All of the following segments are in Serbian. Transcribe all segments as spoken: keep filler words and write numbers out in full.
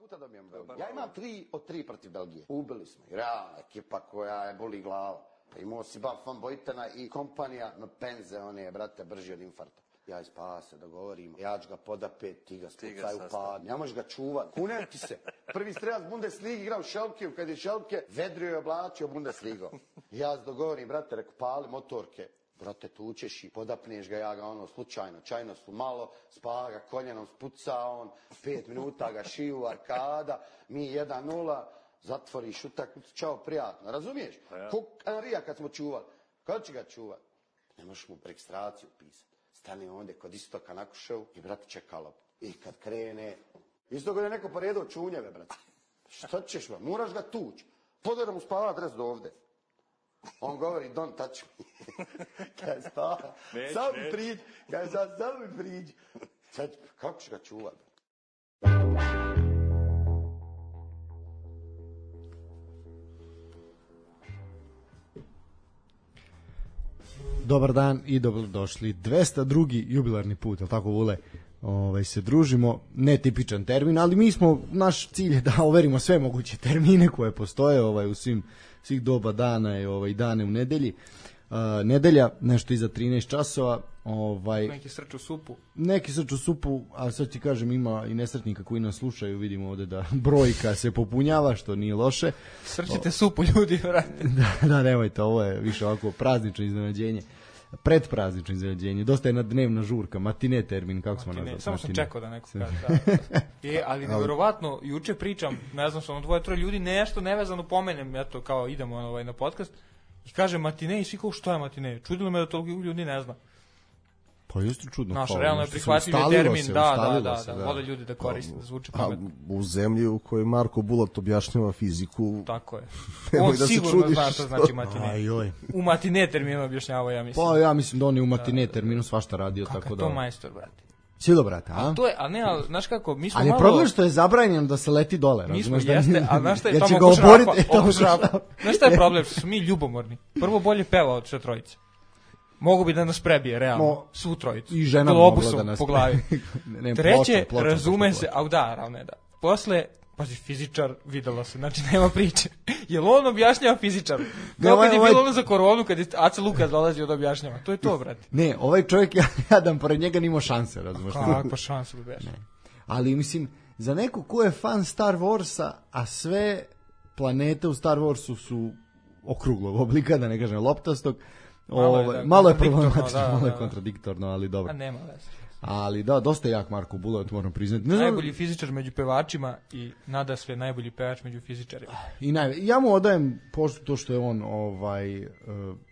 puta dobijemo Belgiju. Ja imam tri od tri protiv Belgije. Ubili smo. Realna ekipa koja je boli glava. Pa imao si Baf van Bojtena i kompanija, no penze, on je, brate, brži od infarta. Ja ispa se dogovorim, ja ću ga podapet, ti ga spucaj u pad, ne možeš ga čuvat. Kunem ti se, prvi strelac Bundesligi igrao Šelke, kad je Šelke, vedrio je oblačio Bundesligo. Ja se dogovorim, brate, reko, pali motorke. Brate, tučeš i podapneš ga, ja ga ono slučajno, čajno su malo, spa ga koljenom, spuca on, pet minuta ga šiju, arkada, mi jedan nula, zatvoriš utakmicu, čao, prijatno, razumiješ? Ja. Ko Anrija kad smo čuvali, kada će ga čuvati? Ne možeš mu registraciju pisati. Stane ondje kod Istoka na Kuševu i brate čeka loptu. I kad krene, isto kad je neko poredao čunjeve, brate. Šta ćeš, ba? Moraš ga tući. Podaj da mu spava adres do ovde. On govori, don't touch me. Kaj spava, sam mi priđi. Kaj sam, sam mi priđi. Sad, kako će ga čuvati? Dobar dan i dobrodošli. dvesta drugi jubilarni put, jel tako, Vule? Ovaj, se družimo, netipičan termin, ali mi smo, naš cilj je da overimo sve moguće termine koje postoje ovaj, u svim, svih doba dana i ovaj, dane u nedelji. Uh, nedelja, nešto iza trinaest časova. Ovaj, neki srču supu. Neki srču supu, a sad ti kažem, ima i nesretnika koji nas slušaju, vidimo ovde da brojka se popunjava, što nije loše. Srčite o, supu, ljudi, vrate. Da, da, nemojte, ovo je više ovako praznično iznenađenje. Predpraznično iznenađenje. Dosta je na dnevna žurka, matine termin, kako smo nazvali. Samo sam čekao da neko kaže. Da. E, ali nevjerovatno, juče pričam, ne znam, sam dvoje, troje ljudi, nešto nevezano pomenem, eto, kao idemo ovaj, na podcast, i kaže matine i svi kao što je matine. Čudilo me da toliko ljudi ne zna. Pa jeste čudno. Naš, realno je prihvatljiv termin, se, da, da, da, da, da, vole ljudi da koriste, da zvuči pametno. U zemlji u kojoj Marko Bulat objašnjava fiziku. Tako je. On da sigurno zna što znači matine. Ajoj. U matine terminu objašnjava, ja mislim. Pa ja mislim da on je u matine terminu svašta radio, kako tako da. Kako to majstor, brate. Silo, brate, a? A to je, a ne, ali, znaš kako, mi smo ali malo... Ali problem što je zabranjeno da se leti dole, mi razumeš? Mi smo, jeste, a znaš šta je tamo oko šrapa, oko šrapa. Znaš šta je problem, što smo mi ljubomorni. Prvo bolje peva od sve trojice. Mogu bi da nas prebije, realno, Mo, svu trojicu. I žena mogla da nas po glavi. ne, Treće, ploča, ploča, razume ploča, se, a da, ravne da. Posle, pazi, fizičar, videlo se, znači nema priče. Jel on objašnjava fizičaru? Kao kad je bilo ono za koronu, kad je Aca Lukas dolazi od objašnjava. To je to, brate. Ne, ovaj čovjek, ja jadan, pored njega nima šanse, razumiješ? Kakva šansa bi beš? Ali, mislim, za neko ko je fan Star Warsa, a sve planete u Star Warsu su okruglog oblika, da ne kažem loptastog, Malo je, da, malo je problematično, da, malo je kontradiktorno, ali dobro. A nema veze. Ali da, dosta jak Marko Bulat, moram priznati. Ne najbolji znam... fizičar među pevačima i nada sve najbolji pevač među fizičarima. I naj... Ja mu odajem pošto to što je on ovaj uh,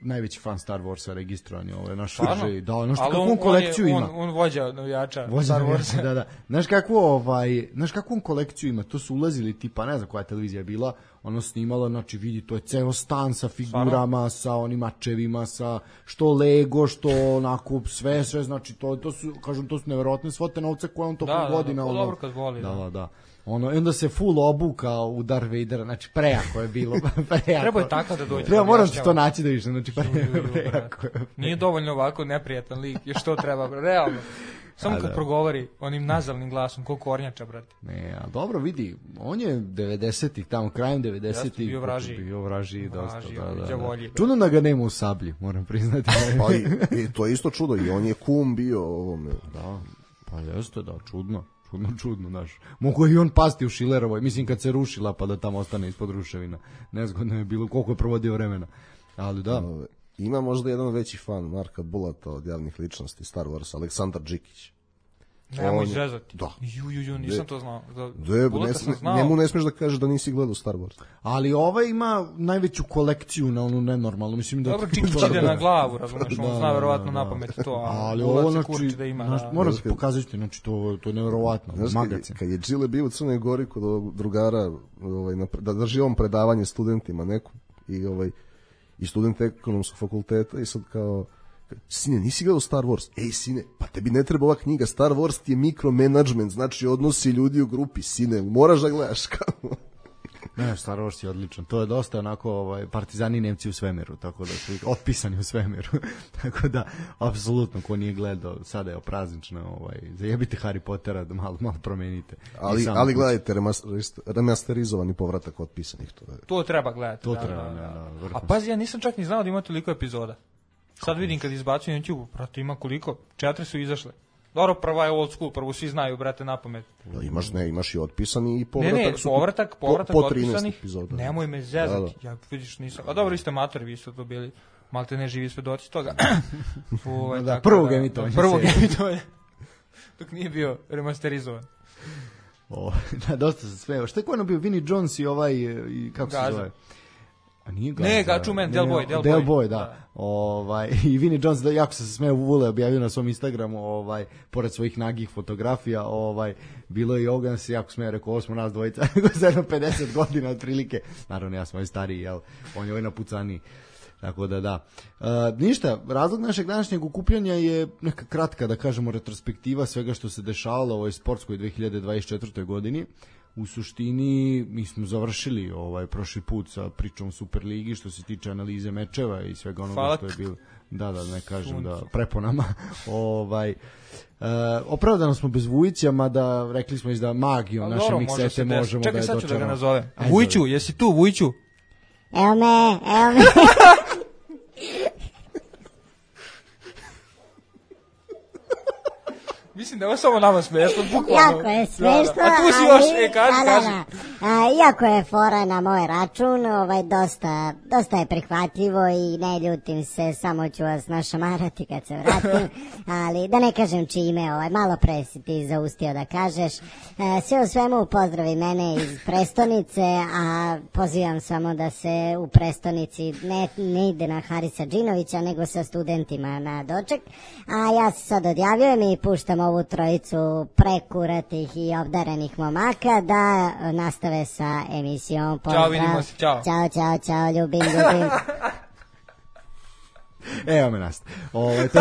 najveći fan Star Warsa registrovan je ovaj naš Srđej. Da, ono što kakvu on kolekciju on ima. On, on vođa navijača vođa Star Warsa. Da, da. Znaš kakvu ovaj, znaš kakvu on kolekciju ima? To su ulazili tipa, ne znam koja televizija je bila, ono snimalo, znači vidi, to je ceo stan sa figurama, sa onim mačevima, sa što Lego, što onako sve, sve, znači to, to su, kažem, to su neverovatne svote novca koje on tokom da, godina. Da, ono, dobro kad voli. Da, da, da. Ono, i onda se full obukao u Darth Vadera, znači prejako je bilo. Prejako. Treba je takav da dođe. Treba, moram ti to naći da više, znači prejako, prejako. Nije dovoljno ovako neprijatan lik, još to treba, realno. Samo kad progovori onim nazalnim glasom, koliko kornjača, brate. Ne, a dobro, vidi, on je devedesetih, tamo krajem devedesetih bio vraži. Bio vraži, dosta, vraži, da, da, djavolji, da. Čudno da ga nema u Sablji, moram priznati. Pa i, i to je isto čudo, i on je kum bio ovome. Da, pa jeste, da, čudno. Čudno, čudno, znaš. Mogu i on pasti u Šilerovoj, mislim kad se rušila pa da tamo ostane ispod ruševina. Nezgodno je bilo, koliko je provodio vremena. Ali da. No, ima možda jedan veći fan Marka Bulata od javnih ličnosti Star Wars, Aleksandar Đikić. Nemoj izrezati. Da. Ju, ju, ju, nisam de, to znao. Da, de, ne, sam znao. Njemu ne smiješ da kažeš da nisi gledao Star Wars. Ali ovaj ima najveću kolekciju na onu nenormalnu. Mislim da dobro, Đikić ide na glavu, razumiješ, on zna verovatno na pamet to, a ali ovo, znači, da ima. Naš, da, moram se pokazati, znači, to, to je nevjerovatno. Kad, kad je Džile bio u Crnoj Gori kod ovog drugara, ovaj, na, da drži on predavanje studentima neku, i, ovaj, i student ekonomskog fakulteta, i sad kao, sine, nisi gledao Star Wars? Ej, sine, pa tebi ne treba ova knjiga. Star Wars ti je mikromanagement, znači odnosi ljudi u grupi. Sine, moraš da gledaš. Ne, Star Wars je odličan. To je dosta onako ovaj, partizani Nemci u svemiru, tako da su otpisani u svemiru. Tako da, apsolutno, ko nije gledao, sada je opraznično, ovaj, zajebite Harry Pottera, da malo, malo promenite. Ali, ali gledajte remasterizovani povratak otpisanih. To, je. To treba gledati. To da, treba, da, da. da, da, A pazi, ja nisam čak ni znao da ima toliko epizoda. Sad vidim kad izbacujem na YouTube, brate, ima koliko? Četiri su izašle. Dobro, prva je old school, prvo svi znaju, brate, na pamet. No, imaš, ne, imaš i otpisani i povratak. Ne, ne, su povratak, povratak po, po otpisanih. epizoda. Nemoj me zezati, da, da. ja vidiš nisam. A dobro, vi ste matori, vi ste to bili, malte ne živi svedoci toga. Ove, da, tako prvog da, emitovanja. Prvog emitovanja. Dok nije bio remasterizovan. O, da, dosta se sve. Šta je ko ono bio? Vinnie Jones i ovaj, i kako Gaza. se zove? A nije Gaza. Ne, Gačumen, Del Boy, Del Boy. Del Boy, da. da. Ovaj, i Vinnie Jones, da, jako se smeo, Vule objavio na svom Instagramu, ovaj, pored svojih nagih fotografija, ovaj, bilo je i Ogan se jako smeo, rekao, ovo smo nas dvojica, za jedno pedeset godina otprilike. Naravno, ja sam ovaj stariji, jel, on je ovaj napucaniji. Tako da, da. E, ništa, razlog našeg današnjeg okupljanja je neka kratka, da kažemo, retrospektiva svega što se dešavalo u ovoj sportskoj dve hiljade dvadeset četvrtoj godini. U suštini mi smo završili ovaj prošli put sa pričom Superligi što se tiče analize mečeva i svega onoga Hvala. što je bilo. Da, da, ne kažem Sunci. Da preponama. ovaj e, opravdano smo bez Vujića, mada rekli smo iz da magijom naše dobro, miksete može možemo Čekaj, da je sad ću da ga nazovem. Ajde, Vujću, zove. jesi tu, Vujću? Evo me, evo me. Mislim da je ovo samo nama smešno, bukvalno. Jako je smešno, da, da. A tu si ali, još, e, kaži, da, da, kaži. da. A, iako je fora na moj račun, ovaj, dosta, dosta je prihvatljivo i ne ljutim se, samo ću vas našamarati kad se vratim, ali da ne kažem čime, ovaj, malo pre si ti zaustio da kažeš. E, sve u svemu pozdravi mene iz prestonice, a pozivam samo da se u prestonici ne, ne ide na Harisa Džinovića, nego sa studentima na doček, a ja se sad odjavljujem i puštam ovu trojicu prekuratih i obdarenih momaka da nastave sa emisijom. Pozdrav. Ćao, vidimo se, ćao. Ćao, čao, čao, ljubim, ljubim. Evo me nas. Ovaj to,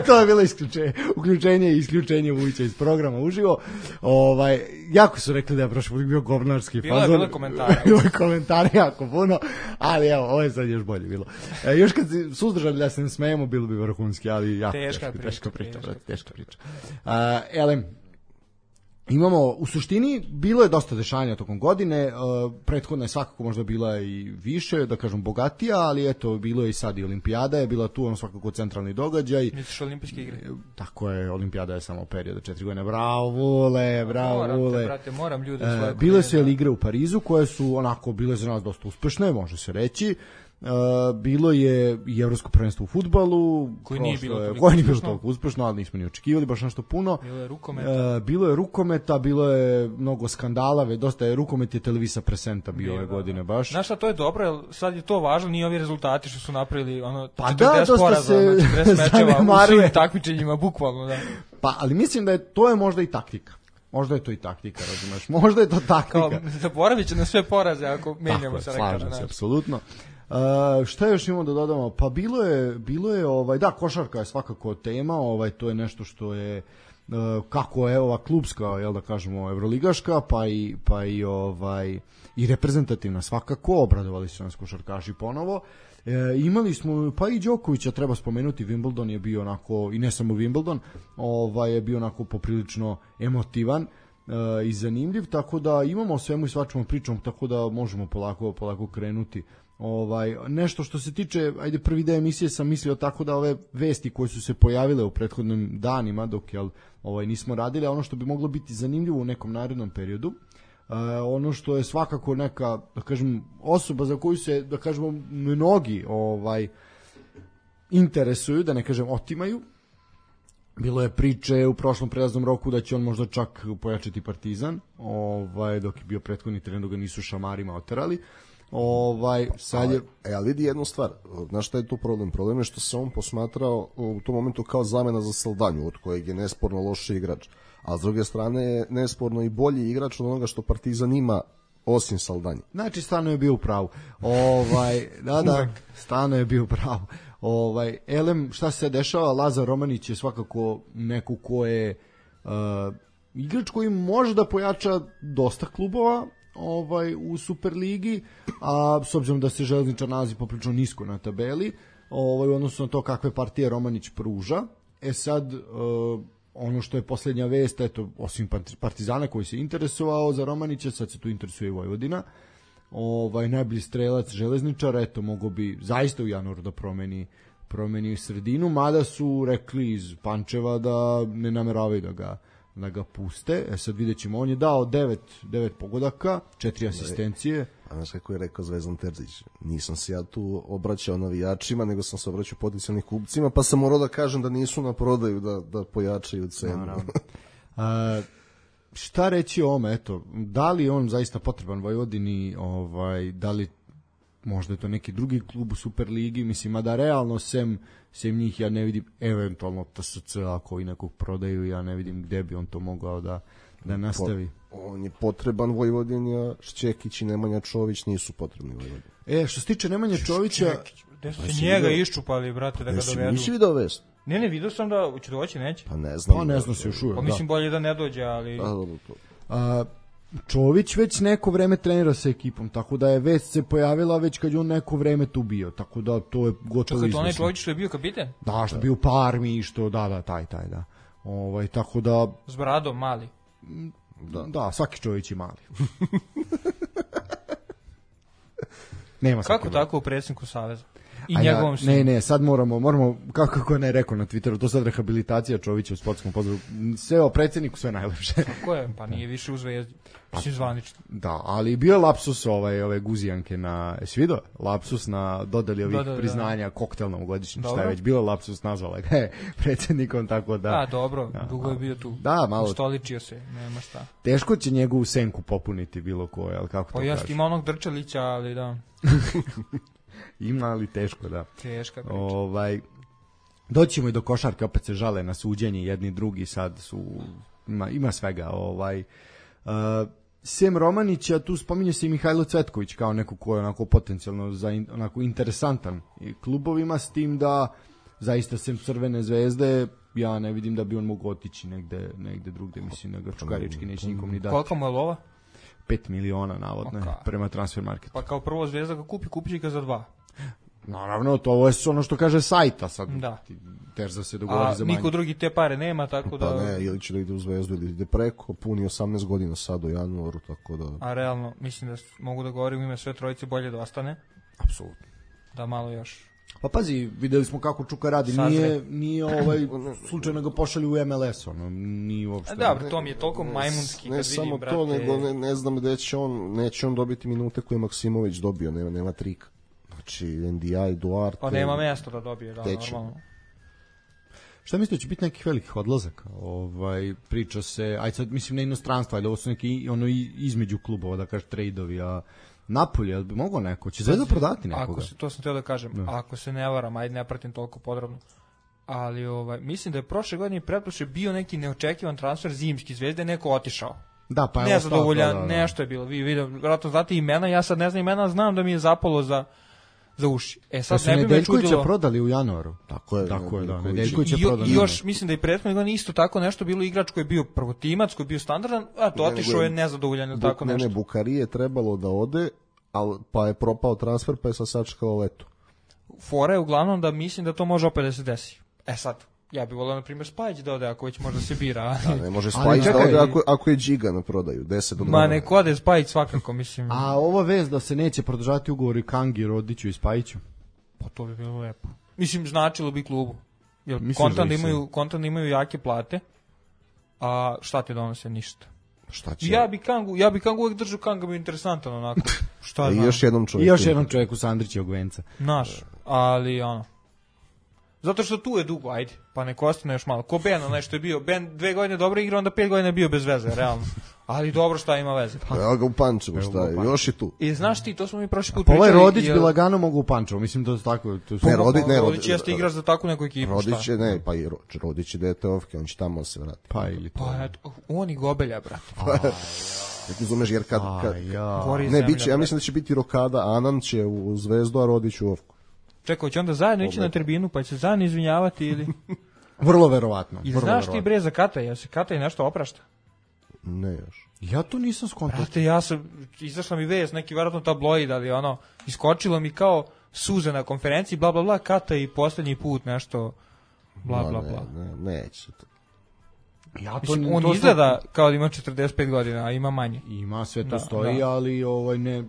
to je bilo isključenje, uključenje i isključenje Vujića iz programa uživo. Ovaj jako su rekli da je prošli put bio govnarski bilo fazon. Bilo je komentara. Bilo je komentara jako puno, ali evo, ovo je sad još bolje bilo. E, još kad se suzdržali da se ne smejemo, bilo bi vrhunski, ali jako teška teška, priča, teška priča, teška brate, teška priča. A, elem, imamo, u suštini, bilo je dosta dešanja tokom godine, uh, prethodna je svakako možda bila i više, da kažem, bogatija, ali eto, bilo je i sad i olimpijada, je bila tu ono svakako centralni događaj. Misliš olimpijske igre? Tako je, olimpijada je samo period od četiri godine. Bravo, Vule, bravo, moram Vule. te, brate, moram ljude E, svoje. bile su jel igre u Parizu, koje su onako bile za nas dosta uspešne, može se reći. Uh, bilo je i evropsko prvenstvo u fudbalu koje nije bilo je, toliko koje nije bilo uspešno. toliko uspešno, ali nismo ni očekivali baš nešto puno. Bilo je rukometa. Uh, bilo je rukometa, bilo je mnogo skandala, dosta je rukomet je Televisa Presenta bio ove godine baš. Znaš šta, to je dobro, jer sad je to važno, nije ovi rezultati što su napravili ono Pa četrdeset da, dosta poraza, se četrdeset mečeva u zanemaruje. svim takmičenjima, bukvalno, da. Pa, ali mislim da je to je možda i taktika. Možda je to i taktika, razumeš? Možda je to taktika. Kao, zaboravit će na sve poraze ako menjamo se. Slažem se, apsolutno. Uh, šta još imamo da dodamo? Pa bilo je, bilo je ovaj, da, košarka je svakako tema, ovaj, to je nešto što je uh, kako je ova klubska, jel da kažemo, evroligaška, pa i, pa i, ovaj, i reprezentativna svakako, obradovali su nas košarkaši ponovo. E, imali smo, pa i Đokovića treba spomenuti, Wimbledon je bio onako, i ne samo Wimbledon, ovaj, je bio onako poprilično emotivan e, i zanimljiv, tako da imamo o svemu i svačemu pričom, tako da možemo polako, polako krenuti. Ovaj, nešto što se tiče, ajde, prvi deo emisije sam mislio tako da ove vesti koje su se pojavile u prethodnim danima dok jel, ovaj, nismo radili, a ono što bi moglo biti zanimljivo u nekom narednom periodu, Uh, ono što je svakako neka, da kažem, osoba za koju se, da kažemo, mnogi ovaj interesuju, da ne kažem otimaju. Bilo je priče u prošlom prelaznom roku da će on možda čak pojačati Partizan, ovaj, dok je bio prethodni teren da ga nisu šamarima oterali. Ovaj, sad je... E, ali vidi jednu stvar, znaš šta je tu problem? Problem je što se on posmatrao u tom momentu kao zamena za Saldanju, od kojeg je nesporno loši igrač. A s druge strane je nesporno i bolji igrač od onoga što Partizan ima osim Saldanje. Znači, Stano je bio u pravu. Ovaj, da, da, Stano je bio u pravu. Ovaj, elem, šta se dešava? Lazar Romanić je svakako neko ko je uh, igrač koji može da pojača dosta klubova, ovaj u Superligi, a s obzirom da se Železničar nalazi poprilično nisko na tabeli, ovaj, odnosno na to kakve partije Romanić pruža. E sad, uh, ono što je posljednja vest, eto, osim Partizana koji se interesovao za Romanića, sad se tu interesuje i Vojvodina. Ovaj, najbolji strelac Železničara, eto, mogo bi zaista u januaru da promeni, promeni sredinu, mada su rekli iz Pančeva da ne nameravaju da ga da ga puste. E sad vidjet ćemo, on je dao devet, devet pogodaka, četiri asistencije. A znaš kako je rekao Zvezdan Terzić, nisam se ja tu obraćao navijačima, nego sam se obraćao potencijalnim kupcima, pa sam morao da kažem da nisu na prodaju, da, da pojačaju cenu. A, šta reći o ome, eto, da li on zaista potreban Vojvodini, ovaj, da li možda je to neki drugi klub u Superligi, mislim, a da realno sem, sem njih ja ne vidim, eventualno T S C ako i nekog prodaju, ja ne vidim gde bi on to mogao da, da nastavi. Po, on je potreban Vojvodini, a Šćekić i Nemanja Čović nisu potrebni Vojvodini. E, što se tiče Nemanja Čovića... Gde su se njega iščupali, brate, da ga dovedu? Nisi vidio vest? Ne, ne, vidio sam da će doći, neće. Pa ne znam. Pa ne znam se još uvijek, pa mislim bolje da ne dođe, ali... A, dobro, to. A, Čović već neko vreme trenira sa ekipom, tako da je vest se pojavila već kad je on neko vreme tu bio, tako da to je gotovo izvesno. Čekaj, to onaj Čović što je bio kapiten? Da, što je bio u Parmi i što, da, da, taj, taj, da. Ovaj, tako da... S bradom, mali. Da, da svaki Čović je mali. Nema kako tako u predsjedniku Saveza? I a njegovom ja, sinu. Ne, ne, sad moramo, moramo kako kako ne rekao na Twitteru, to sad rehabilitacija Čovića u sportskom pozdravu. Sve o predsjedniku sve najlepše. Kako je? Pa nije više u Zvezdi. Mislim zvanično. Da, ali bio je lapsus ovaj, ove guzijanke na, jesi vidio? Lapsus na dodali ovih Dodali, priznanja da. koktelnom godišnjem, šta je već bilo lapsus, nazvala ga je predsjednikom, tako da... A, dobro, da, dugo je bio tu. Da, malo... Ustoličio se, nema šta. Teško će njegovu senku popuniti bilo koje, ali kako to kažeš? Pa kažeš? ima onog Drčelića, ali da... Ima, ali teško, da. Teška priča. Ovaj, doćemo i do košarke, opet se žale na suđenje, jedni drugi sad su, ima, ima svega. Ovaj, uh, sem Romanića, tu spominje se i Mihajlo Cvetković kao neko ko je onako potencijalno za in, onako interesantan i klubovima, s tim da zaista sem Crvene zvezde ja ne vidim da bi on mogao otići negde, negde drugde, mislim da ga Čukarički neće nikom ni dati. Koliko mu je lova? pet miliona navodno je, prema Transfer Marketu. Pa kao prvo Zvezda ga kupi, kupi će ga za dva. Naravno, to ovo je ono što kaže sajta sad. Da. Terza se dogovori za manje. A niko drugi te pare nema, tako da... Pa ne, ili će da ide u Zvezdu ili ide preko, puni osamnaest godina sad u januaru, tako da... A realno, mislim da mogu da govorim u ime sve trojice, bolje da ostane. Apsolutno. Da malo još... Pa pazi, videli smo kako Čuka radi, Sazre. nije, nije ovaj slučajno ga pošalju u M L S, ono, nije uopšte... Da, to mi je toliko majmunski ne, kad vidim, vidim, brate... Ne samo to, nego ne, ne znam gde će on, neće on dobiti minute koje je Maksimović dobio, nema, nema trika. Znači, N D I, Duarte... Pa nema mjesta da dobije, da, normalno. Šta mislite, će biti nekih velikih odlazaka? Ovaj, priča se, aj sad mislim na inostranstvo, ali ovo su neki ono između klubova, da kažeš trejdovi, a Napolje, jel bi mogao neko? Će Zvezda prodati nekoga? Ako se, to sam teo da kažem, no. Ako se ne varam, ajde ne pratim toliko podrobno, ali ovaj, mislim da je prošle godine i pretprošle bio neki neočekivan transfer zimski Zvezde, neko otišao. Da, pa je nezadovoljan, da, da, da. nešto je bilo. Vi vidio, vjerojatno znate imena, ja sad ne znam imena, znam da mi je zapalo za za uši. E sad ne bi me čudilo. Nedeljkovića prodali u januaru. Tako je. Tako je, da. Nedeljkovića prodali. I još mislim da i prethodne godine isto tako nešto bilo, igrač koji je bio prvotimac, koji je bio standardan, a to otišao je nezadovoljan ili tako nešto. Ne, ne, Bukari je trebalo da ode, al pa je propao transfer, pa je sad sačekao leto. Fora je uglavnom da mislim da to može opet da se desi. E sad, ja bih volio na primjer Spajić da ode ako već možda se bira. Da, ne može Spajić da ode ako, ako je Džiga na prodaju, deset do Ma neko ode Spajić svakako, mislim. A ova vez da se neće produžati ugovori Kangi, Rodiću i Spajiću? Pa to bi bilo lepo. Mislim, značilo bi klubu. Jer kontant da imaju, kontant imaju jake plate, a šta ti donose? Ništa. Šta će? Ja bi Kangu, ja bi Kangu uvijek držao, Kanga bi interesantan onako. Šta I još jednom čovjeku. I još jednom čovjeku Sandrićevog venca. Naš, ali ono. Zato što tu je dugo, ajde, pa neko ostane još malo. Ko Ben, onaj što je bio, Ben dve godine dobro igra, onda pet godina je bio bez veze, realno. Ali dobro, šta ima veze. Pa evo ga u Pančevu, šta je, još je tu. I znaš ti, to smo mi prošli put pričali. Pa ovaj Rodić jel... bi lagano mogu u Pančevu, mislim da je tako. To ne, Rodić, ne, Rodić jeste igraš za takvu neku ekipu, Rodić šta? Je, ne, pa i Rodić je deteovke, on će tamo se vrati. Pa ili to. Pa eto, on i Gobelja, brate. Ne razumeš, jer kad... kad ja. Ne, biće, ja mislim da će biti rokada, Anan će u Zvezdu, a Rodić u Ovku. Čekaj, će onda zajedno ići na tribinu, pa će se zajedno izvinjavati ili... Vrlo verovatno. I znaš ti bre za Kataj, ja se Kataj nešto oprašta? Ne još. Ja to nisam skontao. Brate, ja sam, izašla mi vest, neki vjerojatno tabloid, ali ono, iskočilo mi kao suze na konferenciji, bla, bla, bla, Kata i posljednji put nešto, bla, bla, bla. Ne, ne, neće to. Ja to, Mislim, on to izgleda kao da ima četrdeset pet godina, a ima manje. Ima, sve to Da, stoji, da. ali ovaj, ne,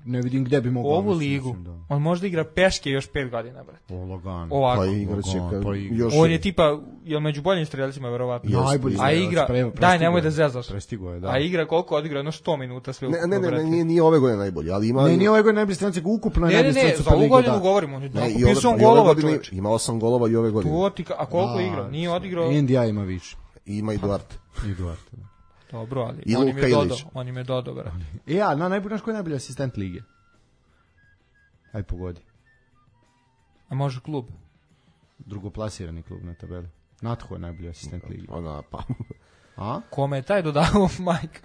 ne vidim gde bi mogao. Ovu mislim, ligu, mislim, da. on možda igra peške još pet godina, brate. O, lagano. Ovako. Pa igraće Lagano, kad pa igra. još... On je tipa, jel među boljim streljacima, verovatno. Jeste, Najbolji jeste. A strelac, igra, pre- daj, prestigao nemoj je. da zezaš. Prestigao je, da. A igra koliko odigra, jedno sto minuta sve Ne, ne, ne, brate. ne, nije, nije ove godine najbolji, ali ima... Ne, nije ovaj godin najbolji stranac, nego ukupno je Ne, ne, najbolji ne, stranac za Super ovu lige, godinu da. govorimo, on je Ne, i napisao ove, i ove golova, godine čoveče. ima osam golova i ove godine. To ti ka- A koliko Da, je igrao? Nije odigrao... N D I ima više. I ima i Duarte. I Duarte, da. Dobro, ali I on im Luka je dodao, Ilić. on im je dodao, brate. E, ja, na najbolji, znaš ko je najbolji asistent lige? Aj pogodi. A može klub? Drugoplasirani klub na tabeli. Natho je najbolji asistent lige. Ona, pa... A? Kome je taj dodao Majka?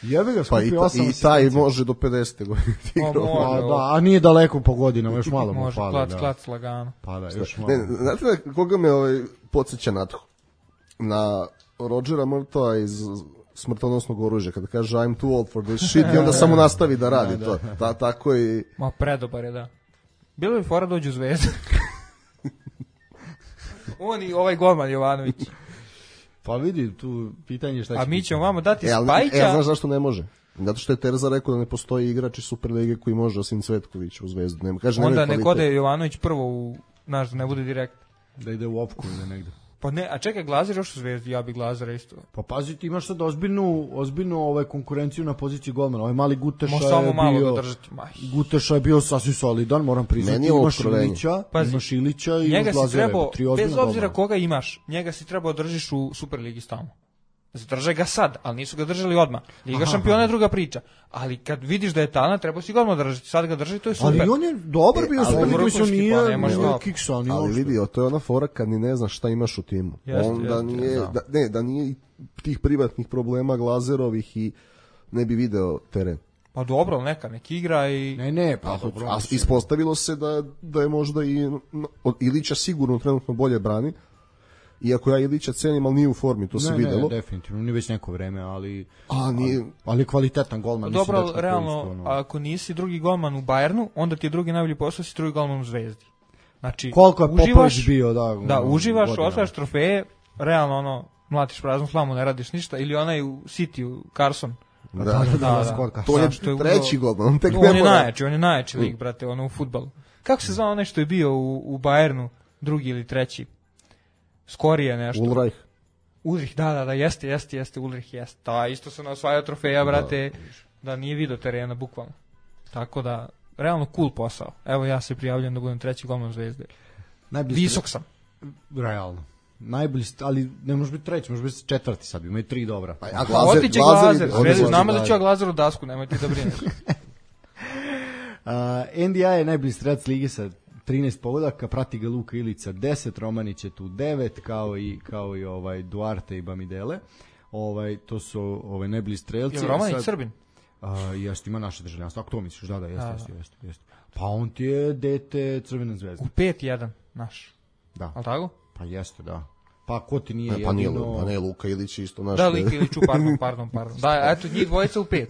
Jebe ga, Pa skupi i, ta, osam i taj asistencija. može do pedesete godine. Pa može, A, da, a nije daleko po godinama, još malo mu može, fali. klac, da. klac, lagano. Pa da, još malo. Ne, znate da koga me ovaj, podsjeća na to? Na Rodgera Murtaugha iz Smrtonosnog oružja, kada kaže I'm too old for this shit i onda samo nastavi da radi to. Ta, tako i... Ma predobar je, da. Bilo bi fora dođu u Zvezdu. On i ovaj golman Jovanović. Pa vidi, tu pitanje šta će A mi biti. ćemo vama dati E, ali, Spajića. e, znaš zašto ne može? Zato što je Terza rekao da ne postoji igrač iz Superlige koji može osim Cvetkovića u Zvezdu. Nema, kaže, Onda nema nek kvalitet. ode Jovanović prvo u, znaš, da ne bude direkt. Da ide u opku ili negde. Pa ne, a čekaj, Glazir još u Zvezdi, ja bi Glazira isto. Pa pazi, ti imaš sad ozbiljnu, ozbiljnu ovaj, konkurenciju na poziciji golmana. Ovaj mali Guteša Može je samo malo bio... da držati. Maj. Guteša je bio sasvim solidan, moram priznati. Meni je ovo Imaš otkrovenje. Ilića, Pazi, imaš Ilića i Njega imaš si Glazera. trebao, Tri bez ozbiljna obzira golmana. koga imaš, njega si trebao držiš u Superligi stalno. Zadrže ga sad, ali nisu ga držali odmah. Liga šampiona je druga priča. Ali kad vidiš da je talent, treba si ga odmah držati. Sad ga drži, to je super. Ali on je dobar bio, E, ali super vrhunski, mislim, pa nije, nema nije šta. kiksa, nije Ali uopšte. vidi, to je ona fora kad ni ne znaš šta imaš u timu. Jeste, Onda jeste, nije, da. da, ne, da nije i tih privatnih problema Glazerovih i ne bi video teren. Pa dobro, ali neka, nek igra i... Ne, ne, pa dobro. A ispostavilo se da, da je možda i no, od Ilića sigurno trenutno bolje brani. Iako ja Ilića cenim, ali nije u formi, to se ne, videlo. Ne, definitivno, nije već neko vreme, ali... A, nije... Ali je kvalitetan golman. Dobro, mislim, dečko realno, koji isto, ono- ako nisi drugi golman u Bayernu, onda ti je drugi najbolji posao, si drugi golman u Zvezdi. Znači, Koliko je uživaš, Popović bio, da. da, ono, uživaš, godinama. osvajaš trofeje, realno, ono, mlatiš praznu slamu, ne radiš ništa, ili onaj u City, u Carson. Da, Da, da, Da, da, da. Skor Carson. to je Znaš, to je treći uzeo- golman, on tek On ne je mora. najjači, on je najjači lig, brate, ono u fudbalu. Kako se zvao onaj što je bio u, u Bayernu, drugi ili treći? Skorije nešto. Ulreich. Ulrich, da, da, da, jeste, jeste, jeste, Ulrich jeste. Da, isto se osvajao trofeja, brate, da, nije video terena, bukvalno. Tako da, realno cool posao. Evo ja se prijavljam da budem treći golman Zvezde. Najbolji Visok sam. stre- Realno. Najbolji, st- ali ne može biti treći, može biti četvrti sad, imaju tri dobra. Pa, a Pa otiće Glazer, ide- Zvezda, ode znamo da Glazer. ću ja Glazeru dasku, nemojte da brinete. Uh, N D I je najbolji strelac lige sa trinaest pogodaka, prati ga Luka Ilica deset, Romanić je tu devet, kao i, kao i ovaj Duarte i Bamidele. Ovaj, to su ovaj, najbolji strelci. Je Romanić Sad- Srbin? Uh, jeste, ima naše državljanstvo. Ako to misliš, da, da, jeste, Da, jeste, jeste, jeste. Pa on ti je dete Crvene zvezde. U pet jedan, naš. Da, Al tako? pa jeste, da. Pa ko ti nije Ne, pa nije, jedino... pa ne, Luka Ilić je isto naš. Da, Lik Iliću, pardon, pardon, pardon. Da, eto, njih dvojica u pet.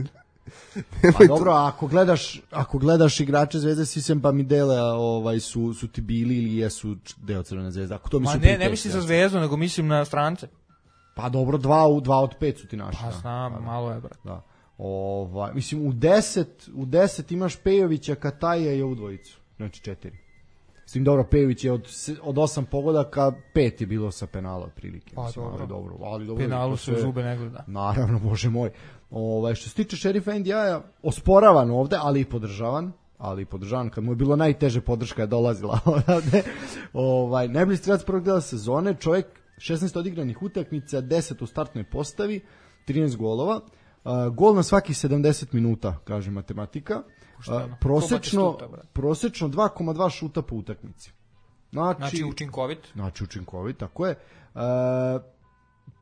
Pa dobro, a ako gledaš, ako gledaš igrače Zvezde, svi sem Bamidele, ovaj, su, su ti bili ili jesu č- deo Crvene zvezde. Ako to Ma mislim ne, ne prijateljski, mislim za jasno. Zvezdu, nego mislim na strance. Pa dobro, dva, u, dva od pet su ti naši. Pa da. znam, Pa da. malo je, brate. Da. Ovaj, mislim, u deset, u deset imaš Pejovića, Kataja i ovu dvojicu. Znači četiri. S tim dobro, Pejović je od, se- od osam pogodaka, pet je bilo sa penala otprilike. Pa Mislim, dobro. ali dobro. Ali dobro, Penalu to se u sve- zube ne gleda. Naravno, bože moj. Ovaj, što se tiče šerifa N D I-a, osporavan ovde, ali i podržavan. Ali i podržavan, kad mu je bilo najteže podrška je dolazila odavde. Ovaj, najbolji strelac prvog dela sezone, čovjek šesnaest odigranih utakmica, deset u startnoj postavi, trinaest golova. Uh, gol na svakih sedamdeset minuta, kaže matematika. Pošteno. Uh, prosečno, Ko Batistuta, brate. prosečno dva zarez dva šuta po utakmici. Znači, Znači, učinkovit. Znači učinkovit, tako je. E,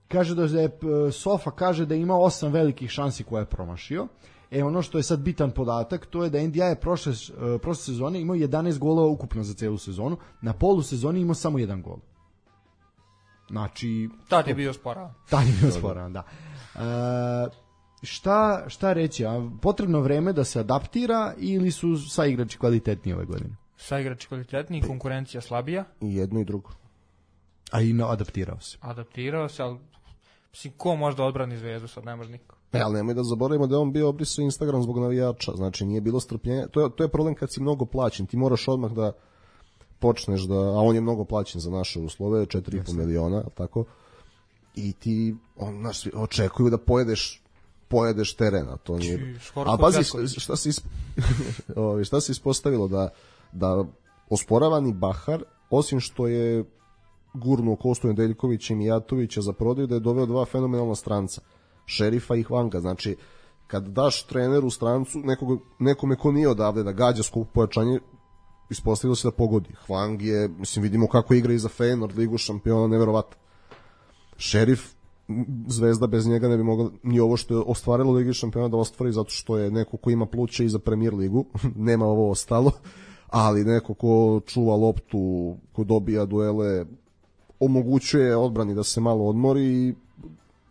kaže da je, p- Sofa kaže da ima osam velikih šansi koje je promašio. E ono što je sad bitan podatak, to je da N D I je prošle, e, prošle sezone imao jedanaest golova ukupno za celu sezonu, na polu sezoni imao samo jedan gol. Znači... Tad je bio sporavan. Tad je bio sporavan, da. E, šta, šta reći, a potrebno vreme da se adaptira ili su sa igrači kvalitetniji ove godine? Sa igrači kvalitetniji, konkurencija slabija. I jedno i drugo. A i no, adaptirao se. Adaptirao se, ali mislim, ko može da odbrani Zvezdu, sad ne može niko. E, ali nemoj da zaboravimo da je on bio obrisao Instagram zbog navijača, znači nije bilo strpljenja. To je, to je problem kad si mnogo plaćen, ti moraš odmah da počneš da, a on je mnogo plaćen za naše uslove, četiri i po miliona, tako, i ti, on, znaš, očekuju da pojedeš pojedeš terena, to nije... A pazi, šta se, isp... šta se ispostavilo, da, da osporavani Bahar, osim što je gurnuo Kostu Nedeljkovića i Mijatovića za prodaju, da je doveo dva fenomenalna stranca, Šerifa i Hvanga. Znači, kad daš treneru strancu, nekog, nekome ko nije odavde da gađa skup pojačanje, ispostavilo se da pogodi. Hvang je, mislim, vidimo kako igra i za Feyenoord, Ligu šampiona, neverovatno. Šerif, Zvezda bez njega ne bi mogla ni ovo što je ostvarilo Ligi šampiona da ostvari, zato što je neko ko ima pluće i za Premier ligu, nema ovo ostalo, ali neko ko čuva loptu, ko dobija duele, omogućuje odbrani da se malo odmori i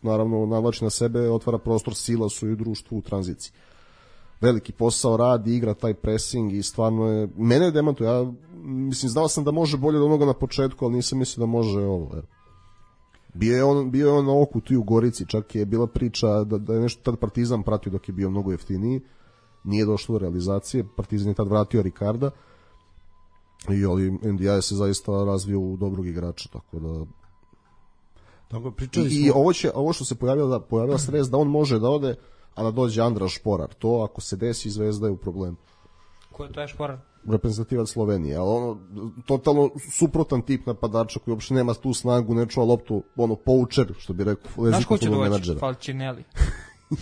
naravno navlači na sebe, otvara prostor Silasu i društvu u tranziciji. Veliki posao radi, igra taj pressing i stvarno je, mene je demantuje, ja mislim, znao sam da može bolje od onoga na početku, ali nisam mislio da može ovo, evo. Bio je on, bio je on na oku tu u Gorici, čak je bila priča da, da je nešto tad Partizan pratio dok je bio mnogo jeftiniji, nije došlo do realizacije, Partizan je tad vratio Ricarda i ali N D I se zaista razvio u dobrog igrača, tako da... Tako, pričali I, smo... i ovo, će, ovo što se pojavilo, da, pojavila se res da on može da ode, a da dođe Andraš Šporar, to ako se desi Zvezda je u problemu. Ko je taj Šporar? Reprezentativac Slovenije, ali ono, totalno suprotan tip napadača koji uopšte nema tu snagu, ne čuva loptu, ono, poučer, što bi rekao, znaš ko će doći? menadžera. Falcinelli.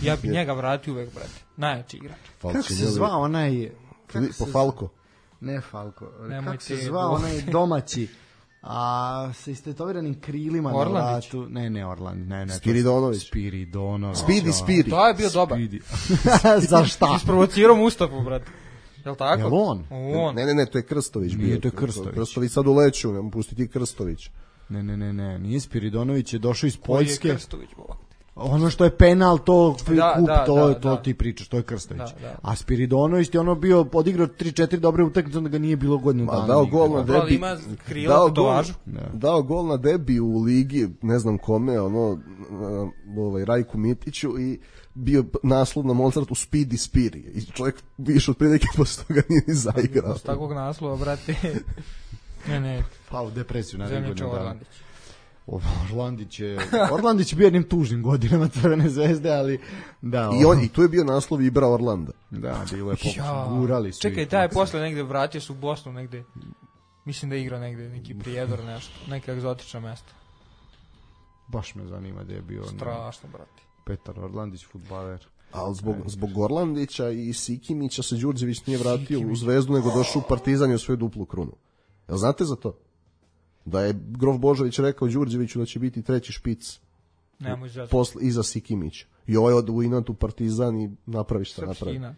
Ja bi njega vratio uvek, brate. Najjači igrač. Kako se zvao onaj... Filipo Falko? Ne Falko. Nemoj kako se ti zvao go- onaj domaći, a sa istetoviranim krilima Orlandić? na vratu? Ne, ne, Orland, ne, ne. to- Spiridonović. Spiridonović. Spidi, Spiri. To je bio dobar. Spidi. Za šta? Isprovocirao Mustafu, brate. Jel tako? Jel on? On. Ne, ne, ne, to je Krstović bio. Nije, to je Krstović. Krstović sad uleću, ne mu pustiti Krstović. Ne, ne, ne, ne, nije Spiridonović, je došao iz Koji je Poljske. Krstović, bova? Ono što je penal, to Da, kup, da, to, da, to da. ti pričaš, to je Krstović. Da, da. A Spiridonović je ono bio odigrao tri četiri dobre utakmice, onda ga nije bilo godinu Ma, dana. dao nigde. gol na Dobro, ali debi. ima krila Dao po gol, tovažu. dao gol na debi u ligi, ne znam kome, ono, na, ovaj, Rajku Mitiću i bio naslov na Mozartu Speedy Spiri. I čovjek više od prilike posle toga nije ni zaigrao. S takvog naslova, brate. ne, ne, Pa u depresiju na Zemljić godinu dana. Orlandić. Orlandić je Orlandić je bio jednim tužnim godinama Crvene zvezde, ali da. I, on, I tu je bio naslov Ibra Orlanda. Da, bilo je Ja. pokušaj, gurali su. Čekaj, ih. taj je posle negde vratio se u Bosnu, negde. Mislim da je igrao negde, neki Prijedor, nešto. Neka egzotična mesta. Baš me zanima da je bio ne, Strašno, brate. Petar Orlandić, fudbaler. Ali zbog, zbog Orlandića i Sikimića se Đurđević nije vratio u Zvezdu, nego došao u Partizan i u svoju duplu krunu. Jel znate za to? Da je Grof Božović rekao Đurđeviću da će biti treći špic Nemoj zazati. posle, iza Sikimića. I ovaj od u inat u Partizan i napravi šta Srpski napravi. inat.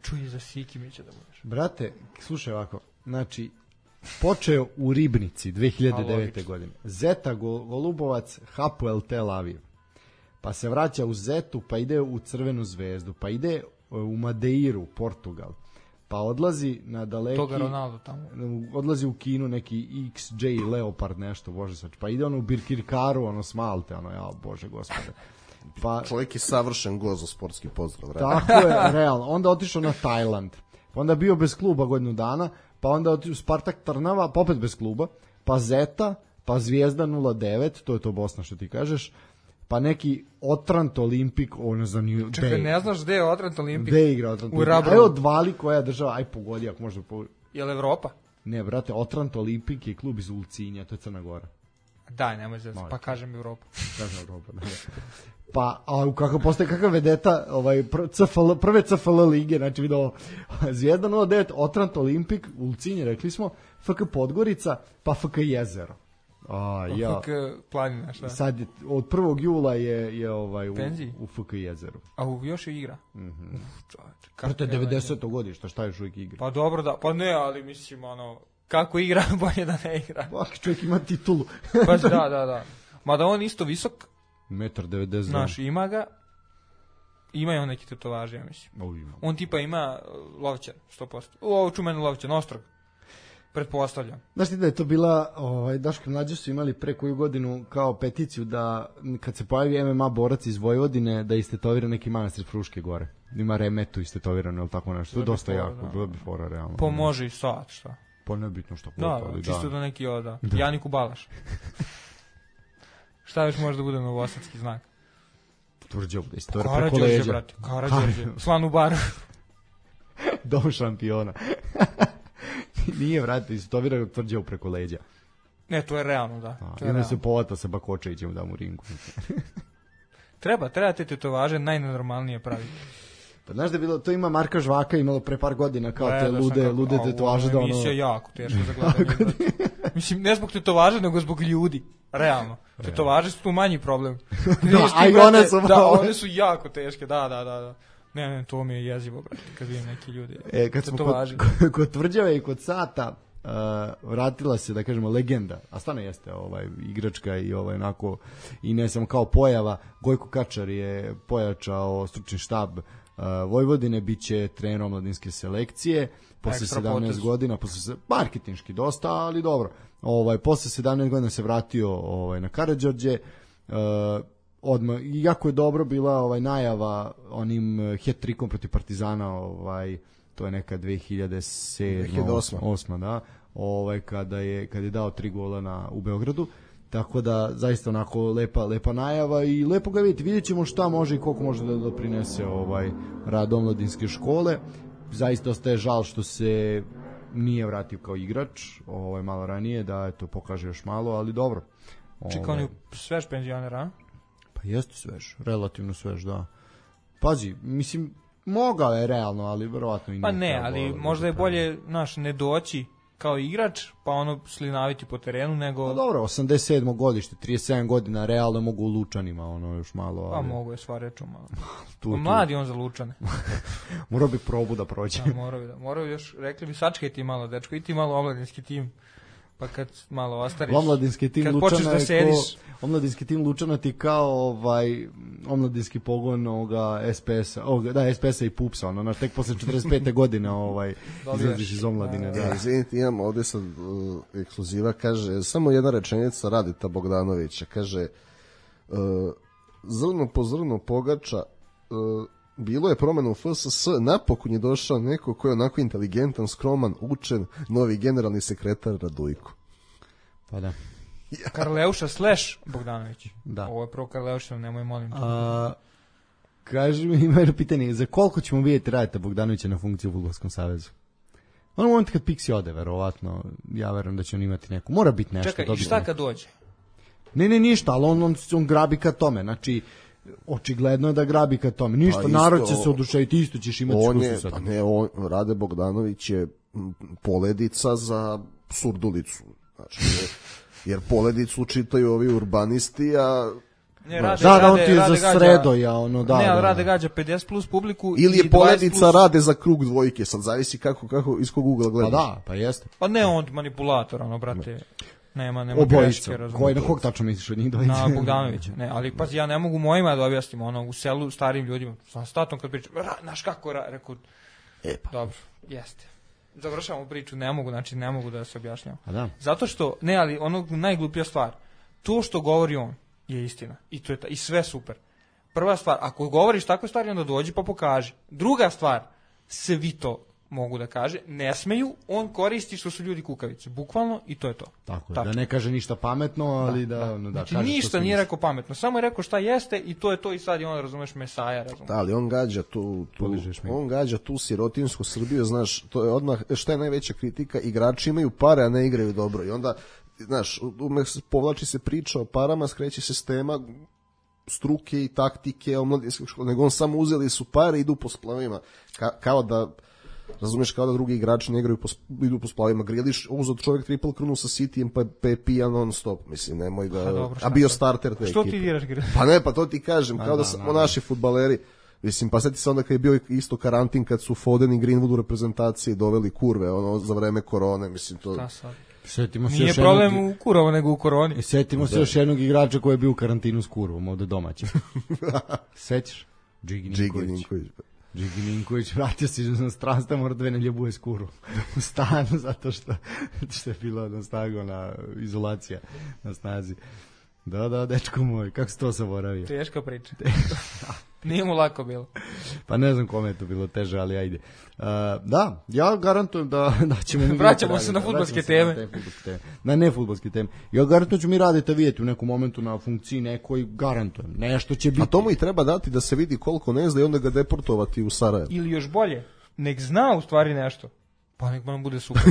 Čuj za Sikimića da budeš. Brate, slušaj ovako, znači, počeo u Ribnici dve hiljade devete. A, logično. godine. Zeta Go- Golubovac, Hapoel Tel Aviv. Pa se vraća u Zetu, pa ide u Crvenu zvezdu, pa ide e, u Madeiru, Portugal. Pa odlazi na daleki... Toga Ronaldo tamo. Odlazi u Kinu neki X J Leopard nešto, bože sač. Pa ide ono u Birkirkaru, ono s Malte, ono, ja, bože gospode. Pa, Čovjek je savršen go za sportski pozdrav. Realno. tako je, realno. Onda otišao na Tajland. Pa onda bio bez kluba godinu dana, pa onda otišao u Spartak Trnava, pa opet bez kluba, pa Zeta, pa Zvijezda nula devet, to je to Bosna što ti kažeš, pa neki Otrant Olimpik, ovo ne znam ni Čekaj, gde ne znaš gde je Otrant Olimpik? gde igra Otrant U Olimpik. Rabrovu. Aj odvali koja država, aj pogodi ako možda po... Je li Evropa? Ne, brate, Otrant Olimpik je klub iz Ulcinja, to je Crna Gora. Daj, nemoj zazati. Molim. Pa kažem Evropa. Kažem Evropa, da. Pa, a kako postaje kakav vedeta, ovaj, pr, C F L, prve C F L lige, znači vidio Zvijezda nula devet, Otrant Olimpik, Ulcinje, rekli smo, F K Podgorica, pa F K Jezero. A, ja. F K Planina, šta? Sad, je- od prvog jula je, je ovaj, u, Penziji? u F K Jezeru. A u još je igra? Mhm. Uf, čoveče. Prvo to je kakve devedeseto godište, šta još uvijek igra? Pa dobro da, pa ne, ali mislim, ono, kako igra, bolje da ne igra. Svaki čovjek ima titulu. Pa da, da, da. Mada on isto visok, Metar devedeset. znaš, ima ga, ima i on neki tetovaži, ja mislim. O, ima. On tipa ima uh, lovčan, sto posto. Ovo čumeni lovčan, ostrog. Pretpostavljam. Znaš ti da je to bila, ovaj, Daško i Mlađe su imali pre koju godinu kao peticiju da kad se pojavi M M A borac iz Vojvodine da istetovira neki manastir Fruške gore. Ima Remetu istetovirano ili tako nešto. To je dosta jako, da. bilo bi fora realno. Pomože i sad, šta? Pa nebitno što Da, god, ali čisto da neki oda. Janiku Balaš. Šta još može da bude novosadski znak? Tvrđav da istotora preko Karađorđe, leđa. brate. Karađorđe. Slan u baru. Dom šampiona. Nije, vrati, istotovira Tvrđav preko leđa. Ne, to je realno, da. A, To I je onda realno. se povata sa Bakočevićem da mu ringu. Treba, treba te tetovaže najnenormalnije praviti. Pa znaš da je bilo, to ima Marka Žvaka imalo pre par godina kao te Gledao sam lude, kako- lude a, tetovaže ovo da je ono... emisija jako teško za gledanje. brate. Mislim, ne zbog tetovaže, nego zbog ljudi. Realno. Tetovaže su tu manji problem. Vidiš ti, a i brate, one su Da, malo- one su jako teške, da, da, da. da. Ne, ne, to mi je jezivo, brate, kad vidim neki ljudi. E, kad smo Tetovaži. kod, kod Tvrđave i kod Sata uh, vratila se, da kažemo, legenda, a stvarno jeste ovaj, igračka i ovaj, onako, i ne samo kao pojava, Gojko Kačar je pojačao stručni štab uh, Vojvodine, bit će trener omladinske selekcije, posle Ekstra sedamnaest potez. godina, posle se, marketinški dosta, ali dobro, ovaj, posle sedamnaest godina se vratio ovaj, na Karađorđe, uh, odmah, i jako je dobro bila ovaj najava onim uh, hat-trikom protiv Partizana, ovaj to je neka dve hiljade sedma dve hiljade osma. osma, da, ovaj kada je kad je dao tri gola na u Beogradu. Tako da zaista onako lepa lepa najava i lepo ga vidite. Videćemo šta može i koliko može da doprinese ovaj rad omladinske škole. Zaista ostaje žal što se nije vratio kao igrač, ovaj malo ranije da eto pokaže još malo, ali dobro. Čekao on je svež penzioner, a? Pa jeste svež, relativno svež, da. Pazi, mislim, mogao je realno, ali verovatno i nije. Pa ne, trebalo ali da možda je se bolje, znaš, ne doći kao igrač, pa ono slinaviti po terenu, nego... Pa dobro, osamdeset sedmo godište, trideset sedam godina, realno mogu u Lučanima, ono još malo. Pa Ali, mogu je sva reču malo. tu, Pa tu. mladi on za Lučane. Morao bi probu da prođe. Da, moraju da. Moraju još, rekli bi, sačkaj ti malo, dečko, i ti malo omladinski tim. Pa kad malo ostariš... Omladinski tim kad Lučana počneš da je sediš... ko, omladinski tim Lučana ti kao ovaj omladinski pogon ovoga es pe esa, ovoga, da, es pe esa i Pupsa, ono, znaš, tek posle četrdeset pete godine ovaj, Dobijaš. izlaziš iz omladine. Da. E, izvinite, imam ovde sad uh, ekskluziva, kaže, samo jedna rečenica Radita Bogdanovića, kaže, uh, zrno po zrno pogača, uh, bilo je promena u F S S, napokon je došao neko ko je onako inteligentan, skroman, učen, novi generalni sekretar Radujko. Pa da. Karleuša slash Bogdanović. Da. Ovo je prvo Karleuša, nemoj molim. te. A, kaži mi, ima jedno pitanje, za koliko ćemo vidjeti Radita Bogdanovića na funkciju u Fudbalskom savezu? Ono moment kad Pixi ode, verovatno, ja verujem da će on imati neku. Mora biti nešto. Čekaj, i dobiti šta neku. kad dođe? Ne, ne, ništa, ali on, on, on grabi ka tome, znači, očigledno je da grabi ka tome. Ništa, Pa isto, narod će se oduševiti, isto ćeš imati On škusu je, sad. pa ne, on, Rade Bogdanović je m, poledica za surdulicu. Znači, jer, jer poledicu čitaju ovi urbanisti, a Ne, rade, Da, da, on rade, ti je rade za gađa- sredoja, ono, da. ne, ali da, rade da. gađa pedeset plus publiku ili i je dvadeset poledica plus... Rade za krug dvojke, sad zavisi kako, kako iz kog ugla Pa gledaš. da, pa jeste. Pa ne on manipulator, ono, brate. Nema, nema Obojica. greške, razumiješ. Koji, na kog tačno misliš od njih dvojice? Na Bogdanovića. Ne, ali pazi, ja ne mogu mojima da objasnim, ono, u selu starim ljudima. Sa statom kad pričam, ra, znaš kako, ra, rekao, E pa. dobro, jeste. Završavamo priču, ne mogu, znači ne mogu da se objašnjam. A da. Zato što, ne, ali ono najgluplja stvar, to što govori on je istina. I to je ta, i sve super. Prva stvar, ako govoriš takve stvari, onda dođi pa pokaži. Druga stvar, svi to mogu da kaže, ne smeju, on koristi što su ljudi kukavice. Bukvalno, i to je to. Tako je, Tako. da ne kaže ništa pametno, ali da, da, ono, da Znači kaže što ništa se nije misli. rekao pametno, samo je rekao šta jeste i to je to i sad je on, razumeš, mesaja, razumeš. Da, ali on gađa tu, tu Poližeš mi. on gađa tu sirotinsku Srbiju, znaš, to je odmah, šta je najveća kritika, igrači imaju pare, a ne igraju dobro i onda, znaš, ume povlači se priča o parama, skreće se s tema struke i taktike, omladinske škole, nego on samo uzeli su pare i idu po splavima, Ka, kao da, razumeš, kao da drugi igrači ne igraju po, idu po splavima, Griliš, uzeo čovjek triple krunu sa Cityjem, pa, pa je pijan non stop, mislim, nemoj da, Pa dobro, šta a bio sad? starter te Što ekipe. ti diraš, Griliš? Pa ne, pa to ti kažem, kao da, da, samo da. naši fudbaleri, Mislim, pa sjeti se onda kad je bio isto karantin, kad su Foden i Greenwood u reprezentaciji doveli kurve, ono, za vreme korone, mislim, to... Da, sad. Setimo se Nije još problem jednog... u Kurovo, nego u koroni. I setimo se još jednog igrača koji je bio u karantinu s kurvom, ovde domaćem. Sećaš? Džigi Ninković. Ninković. Džigi Ninković vratio se iz inostranstva, mora dve nelje buje s kurvom u stanu, zato što, što je bilo na snagu na izolacija na snazi. Da, da, dečko moj, kako se to zaboravio? Teška priča. Nije mu lako bilo. Pa ne znam kome je to bilo teže, ali ajde. Uh, da, ja garantujem da, da ćemo mi... Vraćamo se na fudbalske teme. Na, teme. na ne fudbalske teme. Ja garantujem ću mi raditi vidjeti u nekom momentu na funkciji nekoj, garantujem. Nešto će biti. A to mu i treba dati da se vidi koliko ne zna i onda ga deportovati u Sarajevo. Ili još bolje, nek zna u stvari nešto. Pa nek nam bude super.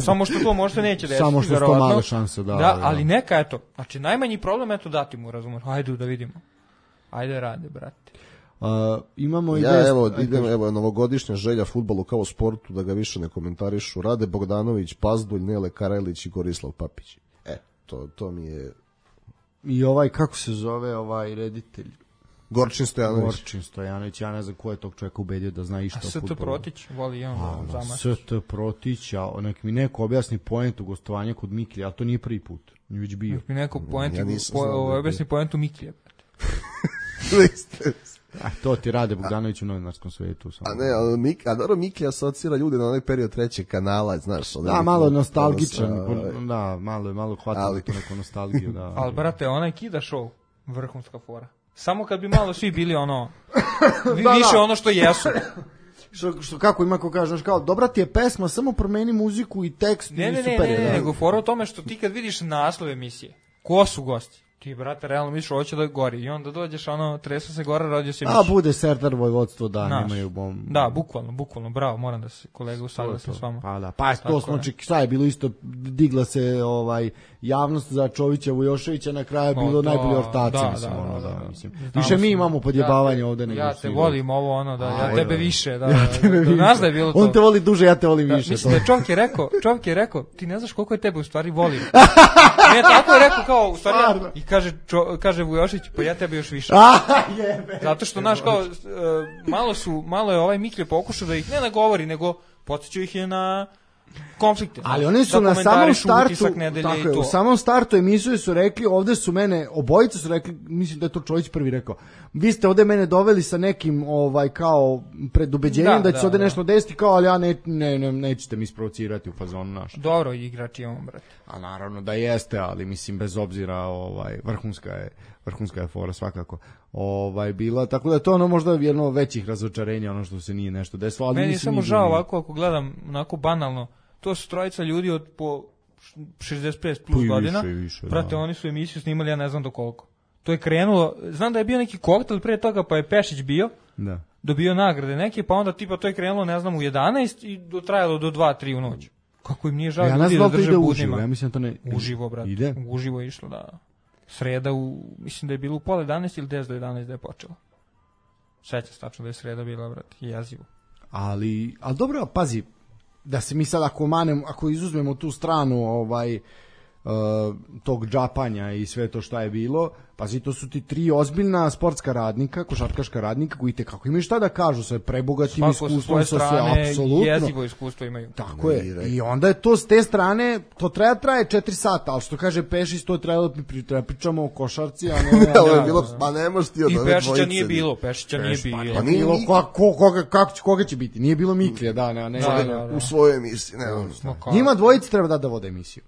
Samo što to možda neće desiti. Samo što su to male šanse, da. Da, da, ali neka, eto. Znači, najmanji problem, eto, dati mu, razumeš. Ajde da vidimo. Ajde rade, brate. Uh, imamo i ja, vest, evo, idem, evo, novogodišnja želja fudbalu kao sportu, da ga više ne komentarišu. Rade Bogdanović, Pazdulj, Nele Karajlić i Gorislav Papić. E, to, to mi je... I ovaj, kako se zove ovaj reditelj? Gorčin Stojanović. Gorčin Stojanović, ja ne znam ko je tog čovjeka ubedio da zna išta o fudbalu. A S T Protić, voli i on da zamašić. S T Protić, a nek mi neko objasni poentu gostovanja kod Miklija, ali to nije prvi put, nije već bio. Nek mi neko poentu, ja po, objasni poentu Miklija. A to ti Rade Bogdanović u novinarskom svetu. Samo. A ne, a, Mik, a dobro, Miki asocira ljude na onaj period trećeg kanala, znaš. Da, malo nostalgičan, sa, da, malo, malo hvata ali... tu neku nostalgiju. Da, ali, brate, onaj kida show, vrhunska fora. Samo kad bi malo svi bili ono, vi, da, više da. Ono što jesu. Što, što kako ima ko kaže, kao, dobra ti je pesma, samo promeni muziku i tekst ne, i ne, super ne, je. Ne, ne, ne, nego fora o tome što ti kad vidiš naslov emisije, ko su gosti? Ti, brate, realno misliš, hoće da gori. I onda dođeš, ono, tresu se gora, rodio se miš. A, bude Serdar Vojvodstvo, da, Naš. Nemaju bom... Da, bukvalno, bukvalno, bravo, moram da se kolega usaglasim s vama. Pa da, pa to smo očekivali, šta je bilo isto, digla se ovaj javnost za Čovića Vujoševića, na kraju je bilo no, najbolji ortaci, da, mislim, da, ono, da, da, da, mislim. Da, više mi imamo podjebavanje ja ovde nego ja te volim ovo, ono, da, ja tebe više, da, ja tebe da, više. Znaš da je bilo to. On te voli duže, ja te volim da, više. Mislim da čovjek je rekao, čovjek je rekao, ti ne znaš koliko je tebe u stvari volim. Ne, tako je rekao kao, u stvari, ja, i kaže, čo, kaže Vujošić, pa ja tebe još više. Zato što, znaš, kao, malo su, malo je ovaj Miklje pokušao da ih ne nagovori, nego podsjećaju ih je na konflikte. Ali oni su na samom startu, tako je, u samom startu emisije su rekli, ovde su mene, obojica su rekli, mislim da je to Čović prvi rekao, vi ste ovde mene doveli sa nekim, ovaj, kao, predubeđenjem da, da će se ovde da. nešto desiti, kao, ali ja ne, ne, ne, nećete mi isprovocirati u fazonu naš. Dobro, igrač je on, brate. A naravno da jeste, ali mislim, bez obzira, ovaj, vrhunska je, vrhunska je fora svakako, ovaj, bila, tako da je to ono možda jedno većih razočarenja, ono što se nije nešto desilo, ali meni je samo žao nije. Ovako, ako gledam, onako banalno, to su trojica ljudi od po šezdeset pet plus godina, više, više, prate, da. Oni su emisiju snimali, ja ne znam do koliko. To je krenulo, znam da je bio neki koktel prije toga, pa je Pešić bio, da. Dobio nagrade neke, pa onda tipa to je krenulo, ne znam, u jedanaest i dotrajalo do dva tri u noć. Kako im nije žao ja ljudi da drže budnima. Uživo, ja mislim da to ne... Uživo, brate, ide? Uživo je išlo, da. Sreda, u, mislim da je bilo u pola jedanaest ili deset do jedanaest da je počelo. Seća se tačno da je sreda bila, brate, jezivo. Ali, ali dobro, pazi, da se mi sad ako manem, ako izuzmemo tu stranu ovaj uh, tog džapanja i sve to šta je bilo, pazi, to su ti tri ozbiljna sportska radnika, košarkaška radnika koji te kako imaju šta da kažu sa prebogatim iskustvom, sa sve apsolutno. Jezivo iskustvo imaju. Tako je. I onda je to s te strane, to treba traje četiri sata, ali što kaže Pešić, to je trebalo da pričamo o košarci, a ne... Ovo je bilo, pa ne možeš ti od ove dvojice. I Pešića nije bilo, Pešića nije bilo. Pa nije bilo, koga, kako, koga će biti? Nije bilo Miklija, da, ne, ne. U svojoj emisiji, ne znam. Njima dvojici treba da da vode emisiju.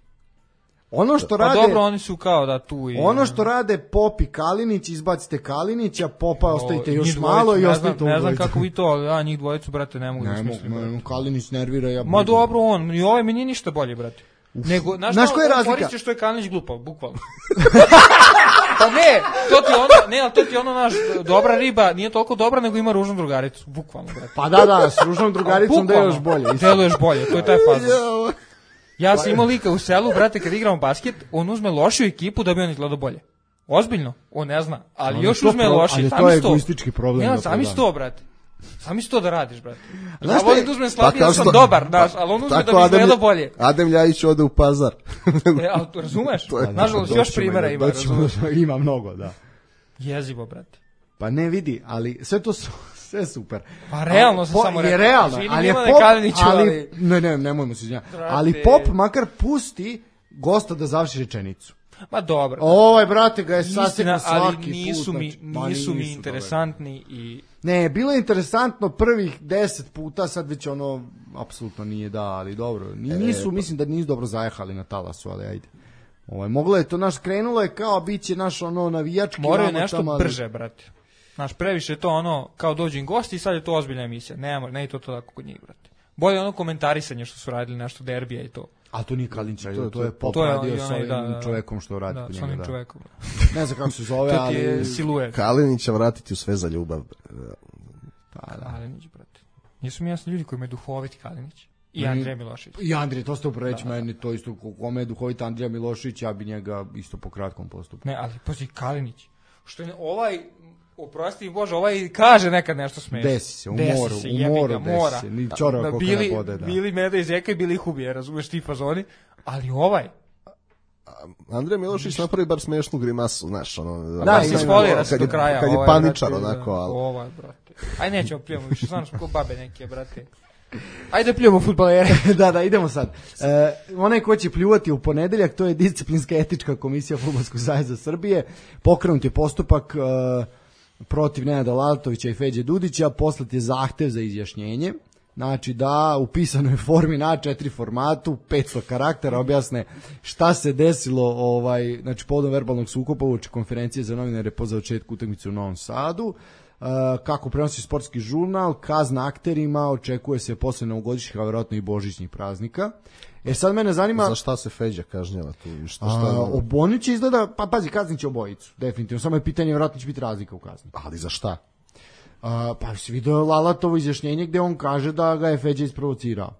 Ono što pa rade, dobro, oni su kao da tu i... Ono što rade Pop i Kalinić, izbacite Kalinića, Popa o, ostavite još malo i ostavite ne, ne znam kako vi to, ali ja njih dvojicu, brate, ne mogu ne, da smislim. Ne, Kalinić nervira, ja... Ma dobro, on, i ovaj mi nije ništa bolje, brate. Uf. Nego, znaš, znaš koja je razlika? Koristiš što je Kalinić glupav, bukvalno. Pa ne, to ti ono, ne, ali to ti ono naš, dobra riba, nije toliko dobra, nego ima ružnu drugaricu, bukvalno, brate. Pa da, da, s ružnom drugaricom deluješ bolje. Deluješ bolje, to je taj fazon. Ja sam imao lika u selu, brate, kad igramo basket, on uzme lošiju ekipu da bi on izgledao bolje. Ozbiljno, on ne zna, ali no, još uzme loši. Ali to je egoistički problem. Ja, sami sto, brate. Sami sto da radiš, brate. Ja volim da uzmem slabije, ja sam što, dobar, znaš, ali on uzme da bi izgledao bolje. Adem Ljajić ode u Pazar. E, ali to razumeš? Nažalost, još primjera ima, razumeš? Ima mnogo, da. Jezivo, brate. Pa ne vidi, ali sve to su... Sve super. Pa realno se Po- samo je rekao. realno, Izvini, ali je Milane pop, Kaliniću, ali, ali- ne, ne, nemojmo se izvinjati. Brate. Ali pop makar pusti gosta da završi rečenicu. Ma dobro. Ovaj, brate, ga je sasekao Istina, ali svaki nisu put. mi, znači, ma nisu mi nisu, interesantni i... Ne, bilo je interesantno prvih deset puta, sad već ono, apsolutno nije da, ali dobro. Ni- Nisu, mislim da nisu dobro zajahali na talasu, ali ajde. Ovaj, moglo je to, naš, krenulo je kao bit će naš ono navijački. Moraju vamo nešto tamo, ali- brže, brate. Znaš, previše je to ono, kao dođu im gosti i sad je to ozbiljna emisija. Ne, mo- ne je to to tako kod njih, brate. Bolje ono komentarisanje što su radili nešto derbija i to. A to nije Kalinić, to, To- to je to- pop to je radio i sa onaj, ovim da, da, čovekom što radi Da, kod s njega, onim da. čovekom. Ne znam kako se zove, To ti je ali... siluet. Kalinić će vratiti u sve za ljubav. Pa, da. Kalinić, brate. Nisu mi jasni ljudi koji me duhoviti Kalinić. I Mm. Andrej Milošić. I Andrije, to ste upravo reći, meni to isto, ko- kome je duhovit Andrija Milošić, ja bi njega isto po kratkom postupku. Ne, ali pazi Kalinić. Što je ne- ovaj, oprosti mi Bože, ovaj kaže nekad nešto smešno. Desi se, u Desi moru, se, u jebi ga, moru desi mora. se, ni čorava Da, koka bili, ne bode, da. Bili Meda iz Eka i bili ih ubije, razumeš ti fazoni. Ali ovaj, Andrej Milošić napravi bar smešnu grimasu, znaš, ono... Da, se ima- sfolira se kad do je- kraja. Kad je ovaj, paničar, brate, onako, da, ali... Ovaj, brate. Aj nećemo pljujemo više, stvarno smo ko babe neke, brate. Ajde pljujemo fudbalere. Da, da, idemo sad. E, onaj ko će pljuvati u ponedeljak, to je disciplinska etička komisija Fudbalskog saveza Srbije. Pokrenut je postupak e, protiv Nenada Lalatovića i Feđe Dudića, poslat je zahtev za izjašnjenje. Znači da u pisanoj formi na A četiri formatu, petsto karaktera, objasne šta se desilo ovaj, znači povodom verbalnog sukoba uoči konferencije za novinare po završetku utakmice u Novom Sadu. Uh, kako prenosi sportski žurnal, kazna akterima, očekuje se posle novogodišnjih, a verovatno i božićnih praznika. E sad mene zanima... Za šta se Feđa kažnjava tu? i Šta, A, šta, oboni će izgleda, pa pazi, kaznit će obojicu, definitivno, samo je pitanje, verovatno će biti razlika u kazni. ali za šta? A, pa si vidio Lalatovo izjašnjenje gde on kaže da ga je Feđa isprovocirao.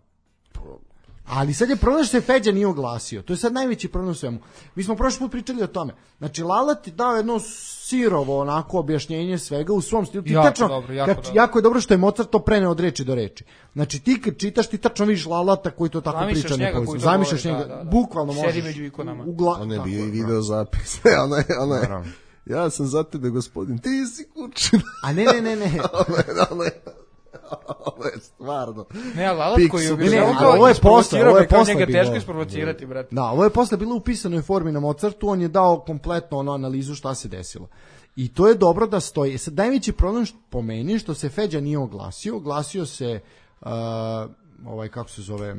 Ali sad je problem što se Feđa nije oglasio. To je sad najveći problem u svemu. Mi smo prošli put pričali o tome. Znači, Lalat je dao jedno sirovo onako objašnjenje svega u svom stilu. Ti Jako tačno, dobro, jako kad- dobro. jako je dobro što je Mozart to preneo od reči do reči. Znači, ti kad čitaš, ti tačno vidiš Lalata koji to tako Zamišljaš priča. njega nepovezano. koji to Zamišljaš govori, njega, da, da, da. bukvalno Sedi možeš. među ikonama. u gla- On je tako bio i je, video zapis. ona je, ona je. Naravno. Ja sam za tebe, gospodin. Ti si kućina. A ne, ne, ne, ne. Ovo je, ono je, ovo je stvarno. Ne, ali Lalat Piksu. koji je Ne, objašnjavao ne, kao ovo je posle, isprovocirao ovo je me, kao posle njega bilo. teško isprovocirati, brate. Da, ovo je posle bilo u pisanoj formi na Mozartu, on je dao kompletno ono analizu šta se desilo. I to je dobro da stoji. Sad, najveći problem što, po meni što se Feđa nije oglasio, oglasio se uh, ovaj, kako se zove,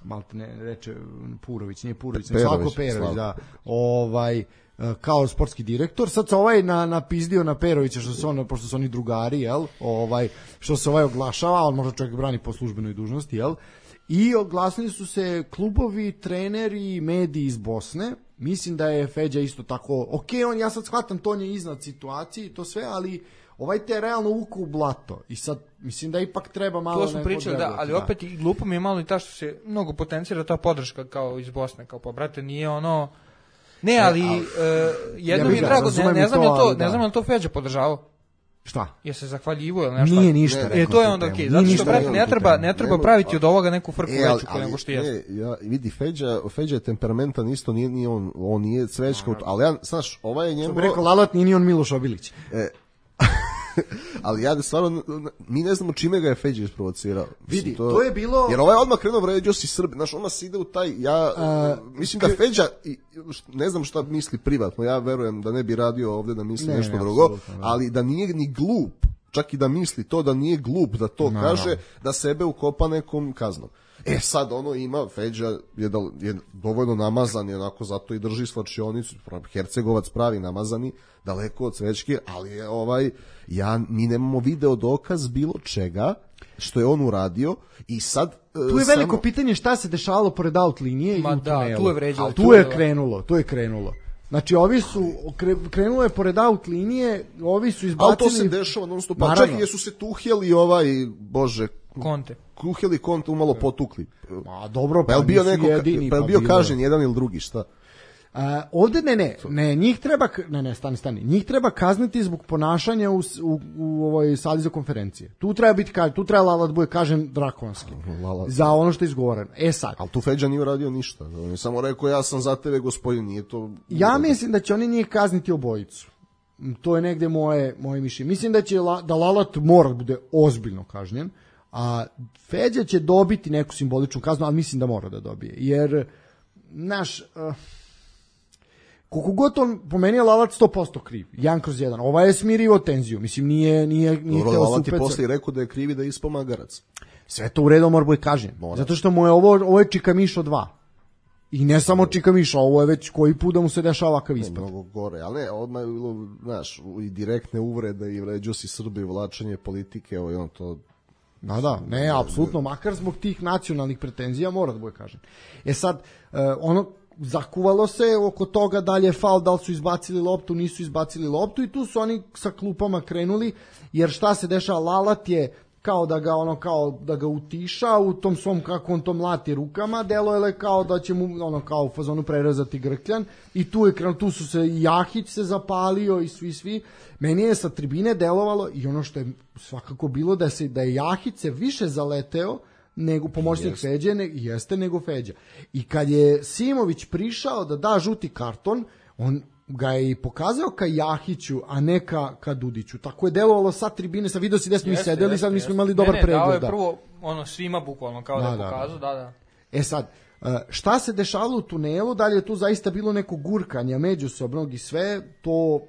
malte ne reče Purović, nije Purović, nego Perović, Slavko Perović, Slavko. da, ovaj, uh, kao sportski direktor. Sad se ovaj na, napizdio na Perovića, što se on, pošto su oni drugari, jel, ovaj, što se ovaj oglašava, on možda čovjek brani po službenoj dužnosti, jel, i oglasili su se klubovi, treneri, mediji iz Bosne. Mislim da je Feđa isto tako, ok, on, ja sad shvatam, to on je iznad situacije i to sve, ali ovaj te realno uku u blato. I sad, mislim da ipak treba malo... To smo neko pričali, da, odreagovati, ali opet i glupo mi je malo i ta što se mnogo potencira ta podrška kao iz Bosne, kao pa brate, nije ono... Ne, ali e, jedno Ja mi bih je ga, drago, razumem ne, i ne znam to, je to, ali da. ne znam je li to Feđa podržavao. Šta? Je se zahvaljivo ili nešto? Nije ništa E, rekao to je na tu onda temu. okej, Nije zato što ništa brate rekao ne na tu treba, temu. ne treba Nemo- praviti od ovoga neku frku E, ali, veću ali, nego što jeste. ne, ja, vidi, Feđa, Feđa je temperamentan isto, nije, nije on, on nije cvećka, ali ja, znaš, ovaj je Što njemu... bi rekao Lalat, nije ni on Miloš Obilić. E, ali ja stvarno, mi ne znamo čime ga je Feđa isprovocirao. Mislim, Vidi, to je bilo- Jer ovaj odmah krenuo vređao si Srbi, znaš, odmah se ide u taj, ja, A, mislim da Feđa, i, ne znam šta misli privatno, ja verujem da ne bi radio ovde da misli Ne, nešto ne, drugo, apsolutno, da. ali da nije ni glup, čak i da misli to da nije glup, da to No, kaže, no. da sebe ukopa nekom kaznom. E sad ono ima, Feđa je, da, je dovoljno namazan i onako zato i drži slačionicu, Hercegovac pravi namazani, daleko od Cvećke, ali je ovaj, ja, mi nemamo video dokaz bilo čega što je on uradio i sad... e, Tu je veliko samo- pitanje šta se dešavalo pored out linije Ma i u da, tunelu. tu je vređalo, Ali tu Tu je je bilo. krenulo, tu je krenulo. Znači, ovi su, kre- krenulo je pored out linije, ovi su Ali izbacili... to se dešava non stop, pa Naravno. čak i jesu se tuhjeli ovaj, bože, Konte. Kuheli Konte umalo potukli. Ma dobro, Pa je li bio nisu neko, jedini, pa je li bio bilo je. kažen jedan ili drugi, šta? A, ovde ne, ne, ne, njih treba, k- ne, ne, stani, stani, njih treba kazniti zbog ponašanja u, s- u, u ovoj sali za konferencije. Tu treba biti, ka- tu treba Lalat bude kažen drakonski. Lalat. Za ono što je izgovoreno. E sad, Ali tu Feđa nije uradio ništa. On je samo rekao ja sam za tebe gospodin, nije to... ja mislim da će oni njih kazniti obojicu. To je negde moje, moje mišljenje. Mislim da će La, da Lalat mora da bude ozbiljno kažnjen, a Feđa će dobiti neku simboličnu kaznu, ali mislim da mora da dobije. Jer, naš... Uh, koliko god on, po meni je Lalat sto posto kriv, jedan kroz jedan. Ova je smirivo tenziju, mislim, nije... nije, nije Dobro, Lalat je posle rekao da je krivi da je ispao magarac. Sve to u redu mora bude kažnjen. Zato što mu je ovo, ovo je Čika Mišo dva. I ne samo Čika Mišo, ovo je već koji put da mu se dešava ovakav ispad. Mnogo gore, ali ne, odmah je bilo, znaš, i direktne uvrede i vređo si Srbi, vlačenje politike, ovo i on to... Da, da, ne, apsolutno, makar zbog tih nacionalnih pretenzija mora da bude kažnjen. E sad, ono, zakuvalo se oko toga da li je faul, da li su izbacili loptu, nisu izbacili loptu i tu su oni sa klupama krenuli, jer šta se dešava, Lalat je kao da ga ono kao da ga utiša u tom svom kako on to mlati rukama, delo je kao da će mu ono kao u fazonu prerezati grkljan i tu je krenuo, tu su se i Jahić se zapalio i svi svi. Meni je sa tribine delovalo i ono što je svakako bilo da se da je Jahić se više zaleteo nego pomoćnik jeste. Feđe ne, jeste nego Feđa. I kad je Simović prišao da da žuti karton, on ga je i pokazao ka Jahiću, a ne ka, ka Dudiću. Tako je delovalo sa tribine, sa video si gde smo mi sedeli, jeste, sad mi smo imali dobar ne, ne, pregled. Dao je prvo ono svima bukvalno, kao da, da je pokazao, da, da. E sad, šta se dešavalo u tunelu, da li je tu zaista bilo neko gurkanje međusobnog i sve, to,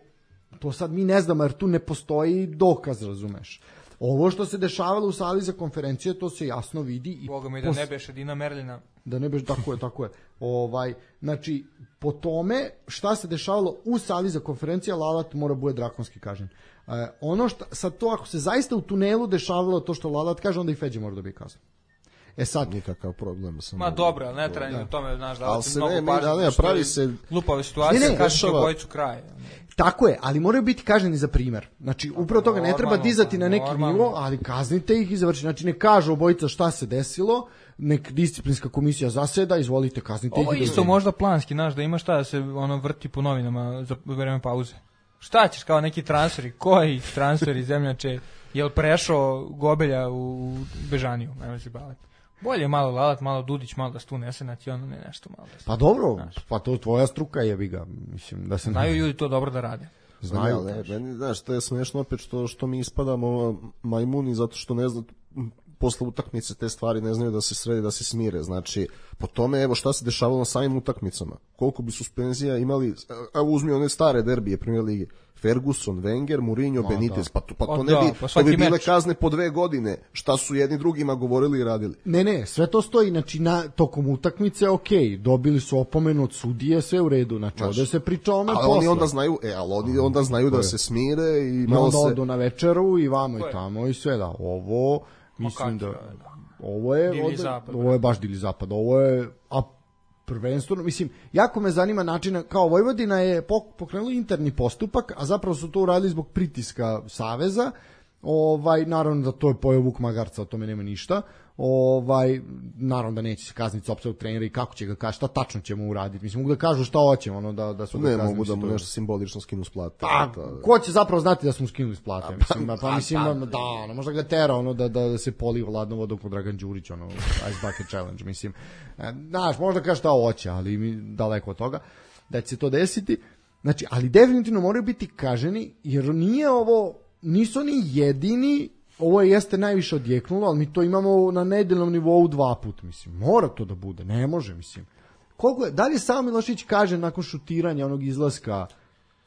to sad mi ne znamo, jer tu ne postoji dokaz, razumeš. Ovo što se dešavalo u sali za konferencije, to se jasno vidi. I Boga mi da pos... ne beše Dina Merlina. Da ne beše, tako je, tako je. Ovaj, znači, po tome šta se dešavalo u sali za konferencije, Lalat mora bude drakonski kažnjen. E, ono što, sad to, ako se zaista u tunelu dešavalo to što Lalat kaže, onda i Feđe mora da bi kazan. E sad... Nikakav problem. Sam Ma dobro, ali ne treba ni u tome, znaš, da se mnogo pažnje. Ali ne, pravi se... Glupave situacije, kažeš u bojicu kraj. Tako je, ali moraju biti kažnjeni za primer. Znači, upravo toga ne treba dizati na neki nivo, ali kaznite ih i završite. Znači, ne kažu obojica šta se desilo, nek disciplinska komisija zaseda, izvolite, kaznite ih. Ovo je isto možda planski, znaš, da ima šta da se ono vrti po novinama za vreme pauze. Šta ćeš, kao neki transferi? Koji transferi, zemljače? Jel prešao Gobelja u Bežaniju? Nema se baviti. Bolje malo Lalat, malo Dudić, malo da stu nese nacionalno, ne nešto malo da stu. Pa dobro, znaš. Pa to tvoja struka jebi ga, mislim da se... Znaju ljudi to dobro da rade. Znaju, ne, meni, znaš, to je smešno opet što, što mi ispadamo majmuni zato što ne znam, posle utakmice te stvari ne znaju da se sredi, da se smire. Znači, po tome, evo šta se dešavalo na samim utakmicama. Koliko bi suspenzija imali, evo uzmi one stare derbije Premier lige, Ferguson, Wenger, Mourinho, no, Benitez, da. pa to, pa to ne da, bi, pa to bi bile meč. Kazne po dve godine, šta su jedni drugima govorili i radili. Ne, ne, sve to stoji, znači na, tokom utakmice, ok, dobili su opomenu od sudije, sve u redu, znači, znači ovde se priča o ome posle. Ali oni onda znaju, e, ali oni onda znaju da se smire i malo onda se... odu na večeru i vamo i tamo i sve, da, ovo, mislim da, ovo je, ovde, zapad, ovo je baš divlji zapad, ovo je, a prvenstveno, mislim, jako me zanima način, kao Vojvodina je pokrenula interni postupak, a zapravo su to uradili zbog pritiska Saveza, ovaj, naravno da to je pojeo Vuk Magarca, o tome nema ništa, ovaj, naravno da neće se kazniti sopstvenog trenera i kako će ga kaži, šta tačno će mu uraditi, mislim, mogu da kažu šta hoće, ono, da, da su ne, da mogu da mu nešto simbolično skinu s plate. Pa, da, ko će zapravo znati da su mu skinuli s plate, mislim, pa, pa mislim, da, da ono, možda ga tera, ono, da, da, da se poli hladnom vodom kod Dragan Đurić, ono, Ice Bucket Challenge, mislim, znaš, možda kaže šta hoće, ali mi daleko od toga, da će se to desiti, znači, ali definitivno moraju biti kaženi, jer nije ovo, nisu oni jedini. Ovo je jeste najviše odjeknulo, ali mi to imamo na nedeljnom nivou dva put, mislim. Mora to da bude, ne može, mislim. Koliko je, da li sam Milošić kaže nakon šutiranja onog izlaska,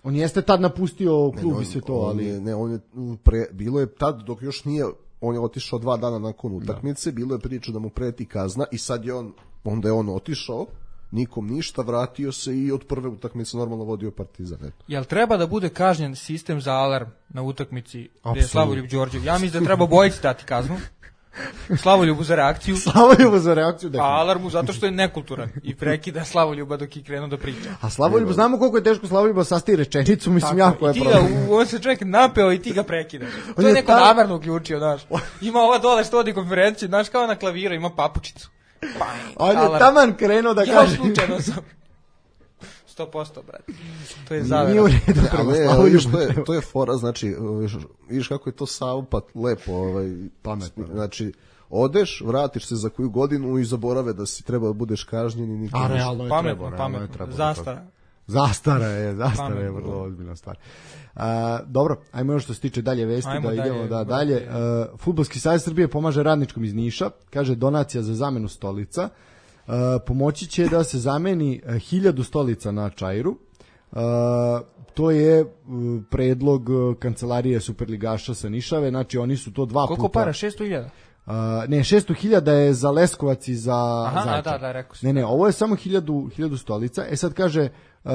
on jeste tad napustio klub ne, i sve to, ali... Je, ne, on je pre, bilo je tad, dok još nije, on je otišao dva dana nakon utakmice, da. Bilo je priča da mu preti kazna i sad je on, onda je on otišao, nikom ništa, vratio se i od prve utakmice normalno vodio Partizan. Eto. Jel treba da bude kažnjen sistem za alarm na utakmici gde je Slavoljub Đorđev? Ja mislim da treba bojici dati kaznu. Slavoljubu za reakciju. Slavoljubu za reakciju, da. A alarmu zato što je nekulturan i prekida Slavoljuba dok je krenuo da priča. A Slavoljub, znamo koliko je teško Slavoljuba sasti rečenicu, mislim, jako je problem. I ti ga, on se čovjek napeo i ti ga prekida. To je neko ta... namerno uključio, znaš. Ima ova dole što vodi konferenciju, znaš, kao na klaviru, ima papučicu. On je taman krenuo da ja kaže. Ja slučajno sam. sto posto, brate. To je zavera. Nije u redu. Ali, ali, to, je, to je fora, znači, vidiš kako je to Saupat lepo. Ovaj, pametno. Znači, odeš, vratiš se za koju godinu i zaborave da si treba da budeš kažnjen. I a realno je pametno, treba. Pametno, pametno. Zastara. Zastara je, zastara je vrlo ozbiljna stvar. Uh, dobro, ajmo još što se tiče dalje vesti, ajmo da dalje, idemo da dalje. Uh, Fudbalski savez Srbije pomaže radničkom iz Niša, kaže donacija za zamenu stolica. Uh, pomoći će da se zameni uh, hiljadu stolica na Čairu. Uh, to je uh, predlog uh, kancelarije Superligaša sa Nišave, znači oni su to dva Koliko puta... Koliko para? šesto hiljada? Uh, ne, šesto hiljada je za Leskovac i za Aha, Zaječar. da, da, rekao si. Ne, ne, ovo je samo hiljadu, hiljadu stolica. E sad kaže... Uh,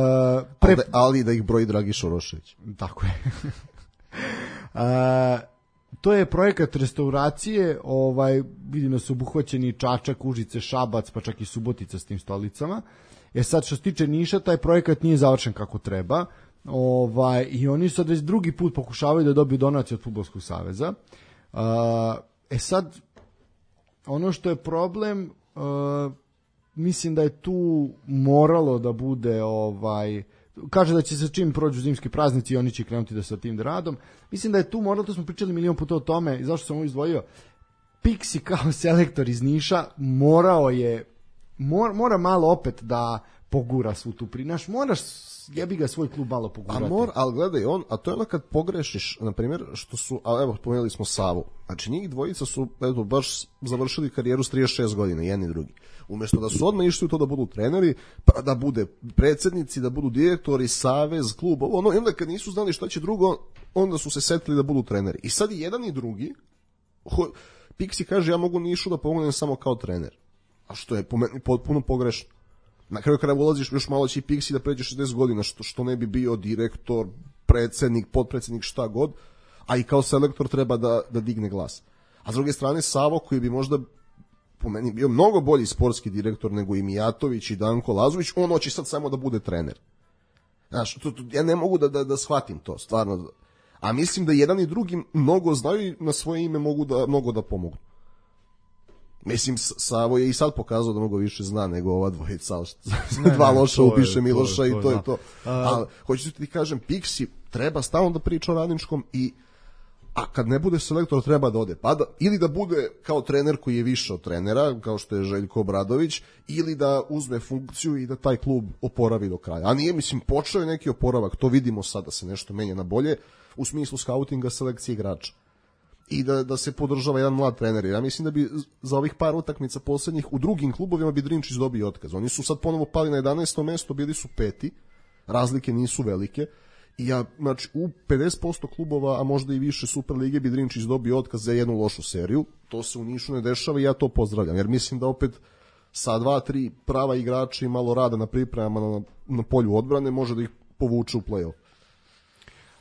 pre... ali, ali da ih broji Dragiš Orošević. Tako je. uh, to je projekat restauracije, ovaj, vidim da su obuhvaćeni Čačak, Užice, Šabac, pa čak i Subotica s tim stolicama. E sad što se tiče Niša, taj projekat nije završen kako treba. Ovaj, i oni sad već drugi put pokušavaju da dobiju donaciju od Fudbalskog saveza. Uh, e sad, ono što je problem, uh, mislim da je tu moralo da bude, ovaj, kaže da će se čim prođu zimski praznici i oni će krenuti da sa tim radom. Mislim da je tu moralo, to smo pričali milion puta o tome i zašto sam ovo izdvojio. Pixi kao selektor iz Niša morao je, mora, mora malo opet da pogura svu tu pri. Naš, moraš jebi ga svoj klub malo pogurati. A mor, ali gledaj, on, a to je ono kad pogrešiš, na primjer, što su, a evo, pomenuli smo Savu. Znači, njih dvojica su, eto, baš završili karijeru s trideset šest godina, jedni i drugi. Umjesto da su odmah išli u to da budu treneri, pa da bude predsjednici, da budu direktori, savez, klub, ono, i onda kad nisu znali šta će drugo, onda su se setili da budu treneri. I sad i jedan i drugi, ho, Pixi kaže, ja mogu Nišu da pomognem samo kao trener. A što je po meni potpuno pogrešno. Na kraju kada ulaziš još malo će i Pixi da pređe šezdeset godina, što, što ne bi bio direktor, predsjednik, potpredsjednik, šta god, a i kao selektor treba da, da digne glas. A s druge strane Savo koji bi možda po meni bio mnogo bolji sportski direktor nego i Mijatović i Danko Lazović, on hoće sad samo da bude trener. Znaš, to, to, ja ne mogu da, da, da shvatim to, stvarno. A mislim da jedan i drugi mnogo znaju i na svoje ime mogu da, mnogo da pomogu. Mislim, Savo je i sad pokazao da mnogo više zna nego ova dvojica, dva loša upiše Miloša to je, to i to je to. Ali, hoću ti kažem, Pixi treba stalno da priča o radničkom i a kad ne bude selektor treba da ode. Pa da, ili da bude kao trener koji je više od trenera, kao što je Željko Obradović, ili da uzme funkciju i da taj klub oporavi do kraja. A nije, mislim, počeo je neki oporavak, to vidimo sad da se nešto menja na bolje, u smislu skautinga, selekcije igrača. I da, da se podržava jedan mlad trener. Ja mislim da bi za ovih par utakmica posljednjih u drugim klubovima bi Drinčić dobio otkaz. Oni su sad ponovo pali na jedanaestom mesto, bili su peti, razlike nisu velike. I ja, znači, u pedeset posto klubova, a možda i više Superlige bi Drinčić dobio otkaz za jednu lošu seriju. To se u Nišu ne dešava i ja to pozdravljam. Jer mislim da opet sa dva, tri prava igrača i malo rada na pripremama na, na polju odbrane može da ih povuče u play-off.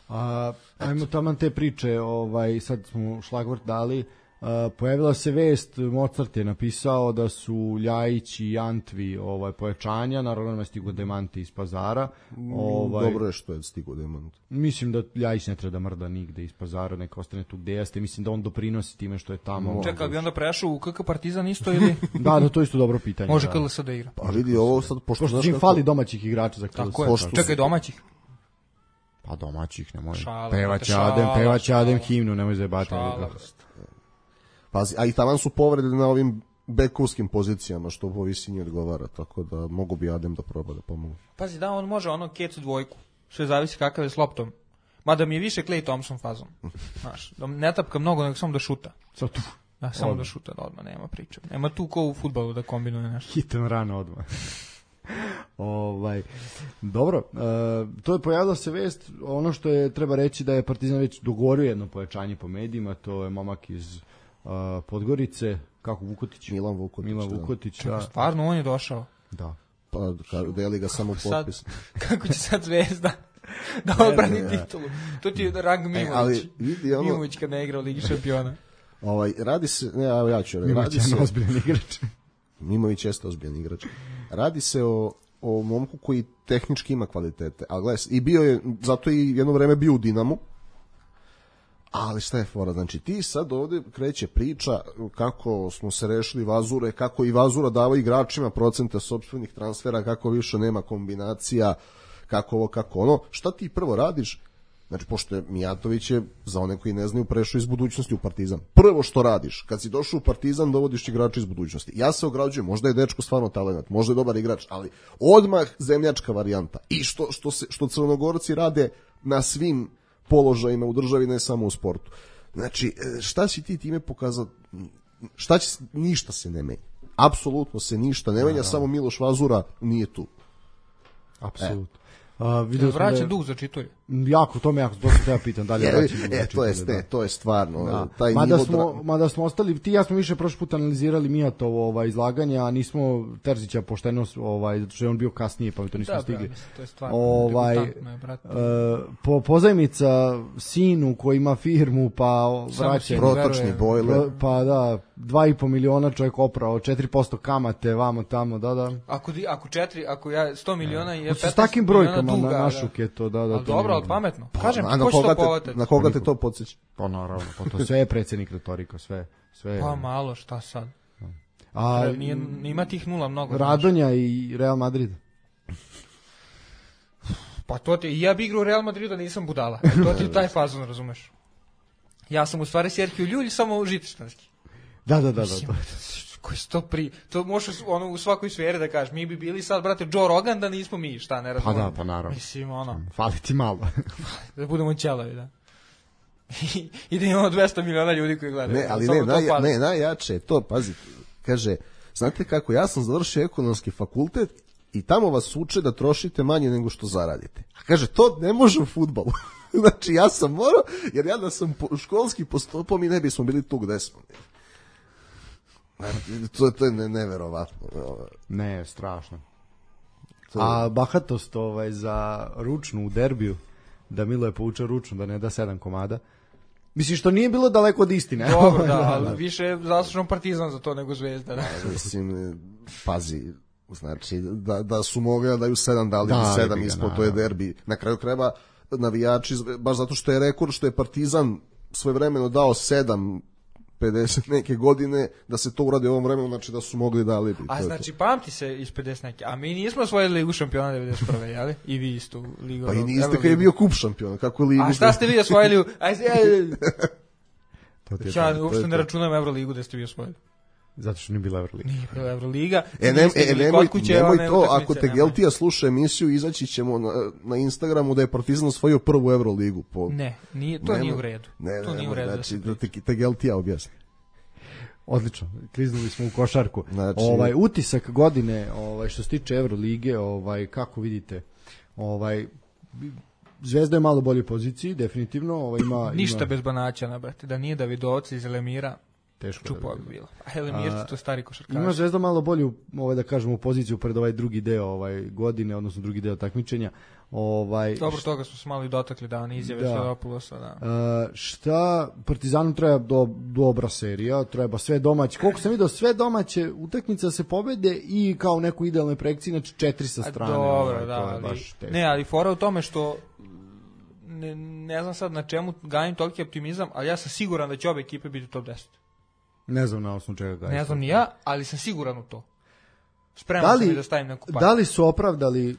A, ajmo taman te priče, ovaj, sad smo šlagvort dali, a, pojavila se vest, Mozart je napisao da su Ljajić i Antvi ovaj, pojačanja, naravno ima stigo demanti iz Pazara. Ovaj, Dobro je što je stigo demant. Mislim da Ljajić ne treba da mrda nigde iz Pazara, neka ostane tu gde jeste, mislim da on doprinosi time što je tamo. Čekaj, bi onda prešao u K K Partizan isto ili? Da, da, to je isto dobro pitanje. Može da. K L S da igra. Pa vidi ovo sad, pošto, pošto znaš čim kako... fali domaćih igrača za K L S. Tako je, čekaj, domaćih. Pa domaćih, nemoj. Šala, Pevaće šala, Adem, pevaće šala. Adem himnu, nemoj zajebati. Pazi, a i taman su povrede na ovim bekovskim pozicijama, što po visini odgovara, tako da mogu bi Adem da proba da pomogu. Pazi, da, on može ono kecu dvojku, sve zavisi kakav je s loptom. Mada mi je više Klay Thompson fazom. Znaš, da ne tapka mnogo, nego samo da šuta. Sad tu. Da, samo odmah da šuta, da odmah, nema priče. Nema tu ko u fudbalu da kombinuje nešto. Hitan rano odmah. ovaj, dobro, uh, to je pojavila se vest, ono što je treba reći da je Partizan već dogovorio jedno pojačanje po medijima, to je momak iz uh, Podgorice, kako Vukotić? Milan Vukotić. Milan Vukotić, da. da. Stvarno, on je došao. Da. Pa deli ga samo potpis. Sad, kako će sad Zvezda da odbrani ne, titulu? To ti je rang Mimović. E, ali, vidi ono... Mimović kad ne igra u Ligi šampiona. Ovaj, radi se, ne, ja, ja ću, Mimović radi je ozbiljan igrač. Mimović jeste ozbiljan igrač. Radi se o, o momku koji tehnički ima kvalitete. A gledaj, i bio je, zato i jedno vreme bio u Dinamu. Ali šta je fora? Znači, ti sad ovde kreće priča kako smo se rešili Vazure, kako i Vazura dava igračima procente sopstvenih transfera, kako više nema kombinacija, kako ovo, kako ono. Šta ti prvo radiš? Znači, pošto je Mijatović je, za one koji ne znaju, prešao iz budućnosti u Partizan. Prvo što radiš, kad si došao u Partizan, dovodiš igrača iz budućnosti. Ja se ograđujem, možda je dečko stvarno talenat, možda je dobar igrač, ali odmah zemljačka varijanta. I što, što, se, što Crnogorci rade na svim položajima u državi, ne samo u sportu. Znači, šta si ti time pokazao? Šta će, ništa se ne menja. Apsolutno se ništa ne menja, samo Miloš Vazura nije tu. Apsolutno. E. A, vidio sam vraćan da je, dug za čitulje. Jako, to me jako, to se ja pitam, da li je vraćan dug e, za to je, čitulje, ne, to je stvarno, da. taj mada nivo... Smo, Dra... mada smo ostali, ti ja smo više prošli put analizirali Mijatovo ovaj, izlaganje, a nismo Terzića pošteno, ovaj, zato što je on bio kasnije, pa mi to nismo da, stigli. Da, mislim, to je stvarno. Ovaj, uh, po, pozajmica sinu koji ima firmu, pa vraća... Protočni bojler. Pa da, dva i po miliona čovjek oprao, četiri posto kamate, vamo tamo, da, da. Ako, ako četiri, ako ja sto miliona je petnaest s takim brojkama duga, na našuke to, da, da. Ali to dobro, nije... ali pametno. Pa, Kažem, na, ko će to te, na koga te to podsjeća? Pa naravno, pa to sve je predsjednik retorika, sve. sve pa malo, šta sad? A, Nije, ima tih nula mnogo. Radonja znači. I Real Madrid. Pa to ti, ja bi igrao u Real Madridu, nisam budala. To ti taj fazon, razumeš? Ja sam u stvari Serhiju Ljulj, samo žitištanski. Da, da, da, da. da. Koji to pri... To možeš ono, u svakoj sferi da kažeš, mi bi bili sad, brate, Joe Rogan, da nismo mi, šta, ne razumem. Pa da, pa naravno. Mislim, ono... Fali ti malo. Da budemo ćelavi, da. I da imamo dvesta miliona ljudi koji gledaju. Ne, ali ne, naj, ne, najjače je to, pazi, kaže, znate kako, ja sam završio ekonomski fakultet i tamo vas uče da trošite manje nego što zaradite. A kaže, to ne može u fudbalu. Znači, ja sam morao, jer ja da sam po, školski postupao, mi ne bismo bili tu gde smo. To, to je ne, neverovatno. Ne, strašno. To... A bahatost ovaj, za ručnu u derbiju, da Milo je poučao ručnu, da ne da sedam komada. Mislim, što nije bilo daleko od istine. Dobro, da, ali više je zaslužen Partizan za to nego Zvezda. Da. Mislim, pazi, znači, da, da su mogli da daju sedam, dali da, bi sedam ispod, to je derbi. Na kraju treba navijači, baš zato što je rekord, što je Partizan svojevremeno dao sedam, pedeset neke godine, da se to uradi u ovom vremenu, znači da su mogli dali bi. A znači, pamti se iz pedeset neke, a mi nismo osvojili Ligu šampiona devedeset prve, jeli? I vi isto Ligu. Pa i niste kad je bio kup šampiona, kako je Ligu. A šta ste vi osvojili? Aj, aj, to ti je ja to, uopšte to ne računam Euroligu da ste vi osvojili. Zato što nije bila Euroliga. Nije bila Euroliga. E, ne, e nemoj, nemoj to, ako te Geltija sluša emisiju, izaći ćemo na, na Instagramu da je Partizan osvojio prvu Euroligu. Po... Ne, nije, to nemoj, nije u redu. Ne, to ne, nije u redu. Znači, da te, te Geltija objasni. Odlično, kliznuli smo u košarku. Znači... Ovaj utisak godine, ovaj što se tiče Evrolige, ovaj kako vidite, ovaj Zvezda je malo bolje poziciji, definitivno, ovaj ima ništa ima... bez Banaća, na brate, da nije Davidovca iz Elemira. Teško čupo bi bilo. A Elemirci to stari košarkaši. Ima Zvezda malo bolju, ovaj da kažemo, u poziciju pred ovaj drugi deo ovaj godine, odnosno drugi deo takmičenja. Ovaj dobro, toga smo se malo i dotakli da oni izjave Svadopulosa, da. Uh, šta Partizanu treba do, dobra serija, treba sve domaće. Koliko sam vidio, sve domaće utakmice se pobede i kao neku idealne projekcije, znači četiri sa strane. A, dobro, ovaj, da, to je ali, baš teško. Ne, ali fora u tome što ne, ne znam sad na čemu gajim toliki optimizam, ali ja sam siguran da će obe ekipe biti u top deset. Ne znam na osnovu čega gajim. Ne znam ni ja, ali sam siguran u to. Spreman da li, sam i da stavim neku par. Da li su opravdali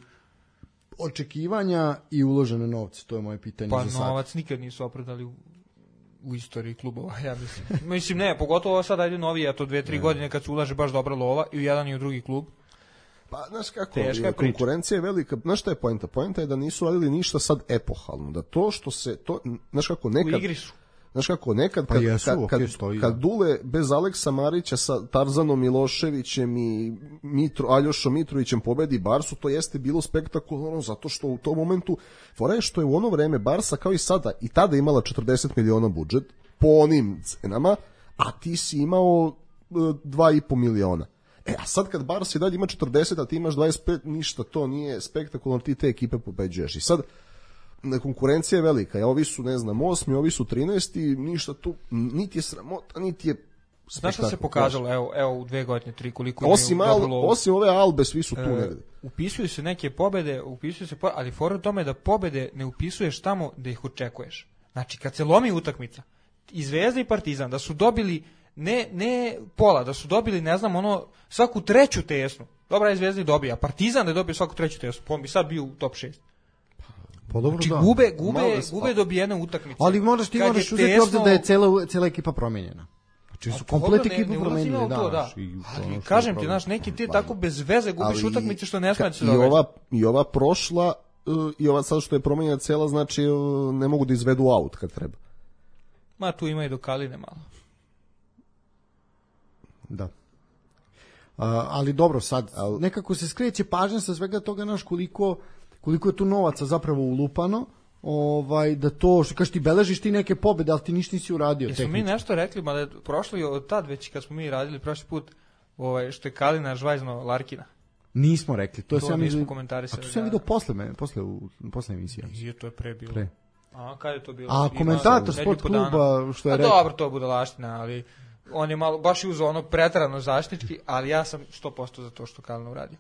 očekivanja i uložene novce, to je moje pitanje pa za sad. Pa novac nikad nisu opravdali u, u istoriji klubova, ja mislim. Mislim ne, pogotovo sad ajde novi, a to dve, tri ne. godine kad se ulaže baš dobra lova i u jedan i u drugi klub. Pa, znaš kako, je konkurencija je velika, znaš šta je poenta? Poenta je da nisu radili ništa sad epohalno, da to što se, to, znaš kako, nekad... U igri su. Znaš kako, nekad pa kad, jesu, kad, okay, kad, stoji, kad Dule bez Aleksa Marića sa Tarzanom Miloševićem i Mitro, Aljošom Mitrovićem pobedi Barsu, to jeste bilo spektakularno zato što u tom momentu, fora je što je u ono vreme Barsa kao i sada, i tada imala četrdeset miliona budžet po onim cenama, a ti si imao dva i po miliona. E, a sad kad Barsa i dalje ima četrdeset, a ti imaš dvadeset pet, ništa, to nije spektakularno, ti te ekipe pobeđuješ. I sad, konkurencija je velika, ja, ovi su, ne znam, osmi, ovi su trinaesti, ništa tu, niti je sramota, niti je znaš šta se pokazalo, evo, evo u dve godine, tri, koliko osim, al, osim ove Albe, svi su tu e, negde. Upisuju se neke pobede, upisuju se, pobede, ali fora u tome da pobede ne upisuješ tamo da ih očekuješ. Znači, kad se lomi utakmica, i Zvezda i Partizan, da su dobili ne, ne pola, da su dobili, ne znam, ono, svaku treću tesnu. Dobra je Zvezda i dobija, a Partizan da je dobio svaku treću tesnu, pa on bi sad bio u top šest. Pa dobro, Znači da. gube, gube, Malo da- gube dobijene utakmice. Ali moraš ti Kad moraš je uzeti u obzir tesno- da je cela, cela ekipa promenjena. Znači su A komplet dobro, ne- ekipu ne ulazim ja promenili, u da. to, da. znaš, i to Ali ono što kažem je ti, problem. znaš, neki ti tako bez veze gubiš Ali utakmice što ne sme da se i događa. ova, I ova prošla, uh, i ova sad što je promenjena cela, znači uh, ne mogu da izvedu aut kad treba. Ma tu ima i do Kaline malo. Da. A, ali dobro, sad nekako se skreće pažnja sa svega toga, naš koliko, koliko je tu novaca zapravo ulupano, ovaj, da to, što kažeš ti, beležiš ti neke pobede, ali ti ništa nisi uradio. Jesmo mi tehnički. nešto rekli, mada je prošlo i od tad već kad smo mi radili prošli put, ovaj, što je Kalina žvajzno Larkina. Nismo rekli, to je To sam nismo vidio- komentarisali, A to sam da. vidio posle, me, posle, u, posle emisije. Je, to je pre bilo. Pre. A kad je to bilo? A Ima komentator nedelju sport po dana. kluba, što je A rekao- dobro, to je budalaština, ali on je malo, baš je uzeo ono pretarano zaštitnički, ali ja sam sto posto za to što Kalina uradio.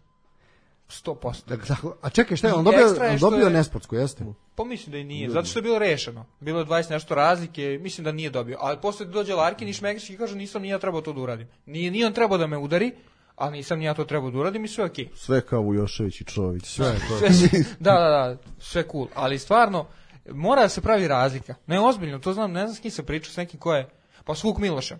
sto posto. Dakle, tako- a čekaj, šta je, I on dobio, ekstra je on što dobio je- nesportsku, jeste? Pa mislim da i nije, zato što je bilo rešeno. Bilo je dvadeset nešto razlike, mislim da nije dobio. Ali posle dođe Larkin i Šmekrić i kaže nisam ni ja trebao to da uradim. Nije, nije on trebao da me udari, ali nisam ni ja to trebao da uradim i sve okej. Sve kao Vujošević i Čović. Sve je to. Sve, da, da, da, sve cool. Ali stvarno, mora da se pravi razlika. Ne, ozbiljno, to znam, ne znam s kim se pričao, s nekim ko je, pa s Vuk Milošem.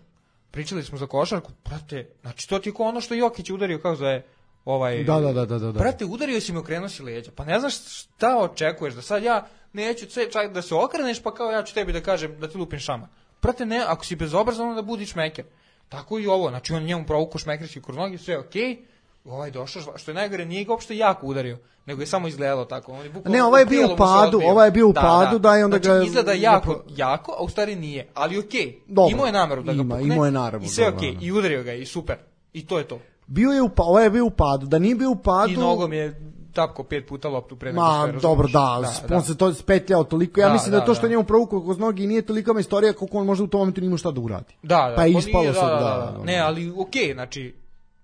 Pričali smo za košarku, brate, znači to ti je ko ono što Jokić udario, kako zove, ovaj... Da, da, da, da, da. Brate, udario si me, okrenuo si leđa. Pa ne znaš šta očekuješ, da sad ja neću sve, čak da se okreneš, pa kao ja ću tebi da kažem da ti lupim šama. Brate, ne, ako si bezobrazan, onda budi šmeker. Tako i ovo, znači on njemu provuku šmekrići kroz nogi, sve je okej. Ovaj došao, što je najgore, nije ga uopšte jako udario, nego je samo izgledalo tako. On je bukvalno Ne, ovaj je u bio u prijelomu se padu, odbio. ovaj je bio u padu, da, i onda znači, ga- izgleda jako, jako, a u stvari nije, ali okej. Dobro. Imao je nameru da ga Ima, pukne imao je nameru, i sve da, okej, da, da. i udario ga je, i super. I to je to. Bio je u pa, ovaj je bio u padu, da nije bio u padu. I nogom je tapko pet puta loptu pre nego što Ma, je, razumeš? dobro, da, da, on se to spetljao toliko. Ja Da, mislim da, da, to što da. je njemu provukao kroz nogi nije tolika istorija koliko on možda u tom momentu nije imao šta da uradi. Da, da, Pa je nije, ispalo da, sad, da, da, da, da. Ne, ali okej, znači,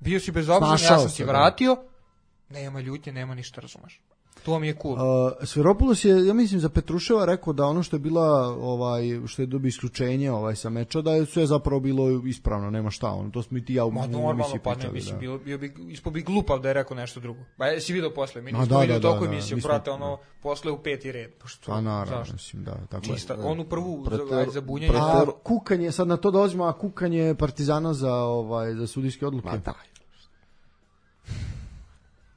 bio si bezobrazan, ja Snašao sam se, ti da. vratio, nema ljutnje, nema ništa, razumeš. To mi je cool. Uh, Sferopoulos je, ja mislim, za Petruševa rekao da ono što je bila, ovaj, što je dobio isključenje ovaj, sa meča, da je sve zapravo bilo ispravno, nema šta, ono, to smo i ti ja u Ma u normalno, emisiji pa ne, pričali, mislim, da. bilo, bio bi, ispo bi glupav da je rekao nešto drugo. Pa jesi vidio posle, mi A, nismo da, vidio da, toliko da, da, emisiju, mi smo- brate, ono, posle u peti red. Pa što, Pa naravno, zašto? mislim, da, tako je. Čista, onu prvu za, Preter- ajde, za bunjenje. preter- A kukanje, sad na to dolazimo, a kukanje Partizana za, ovaj, za sudijske odluke. Ma da.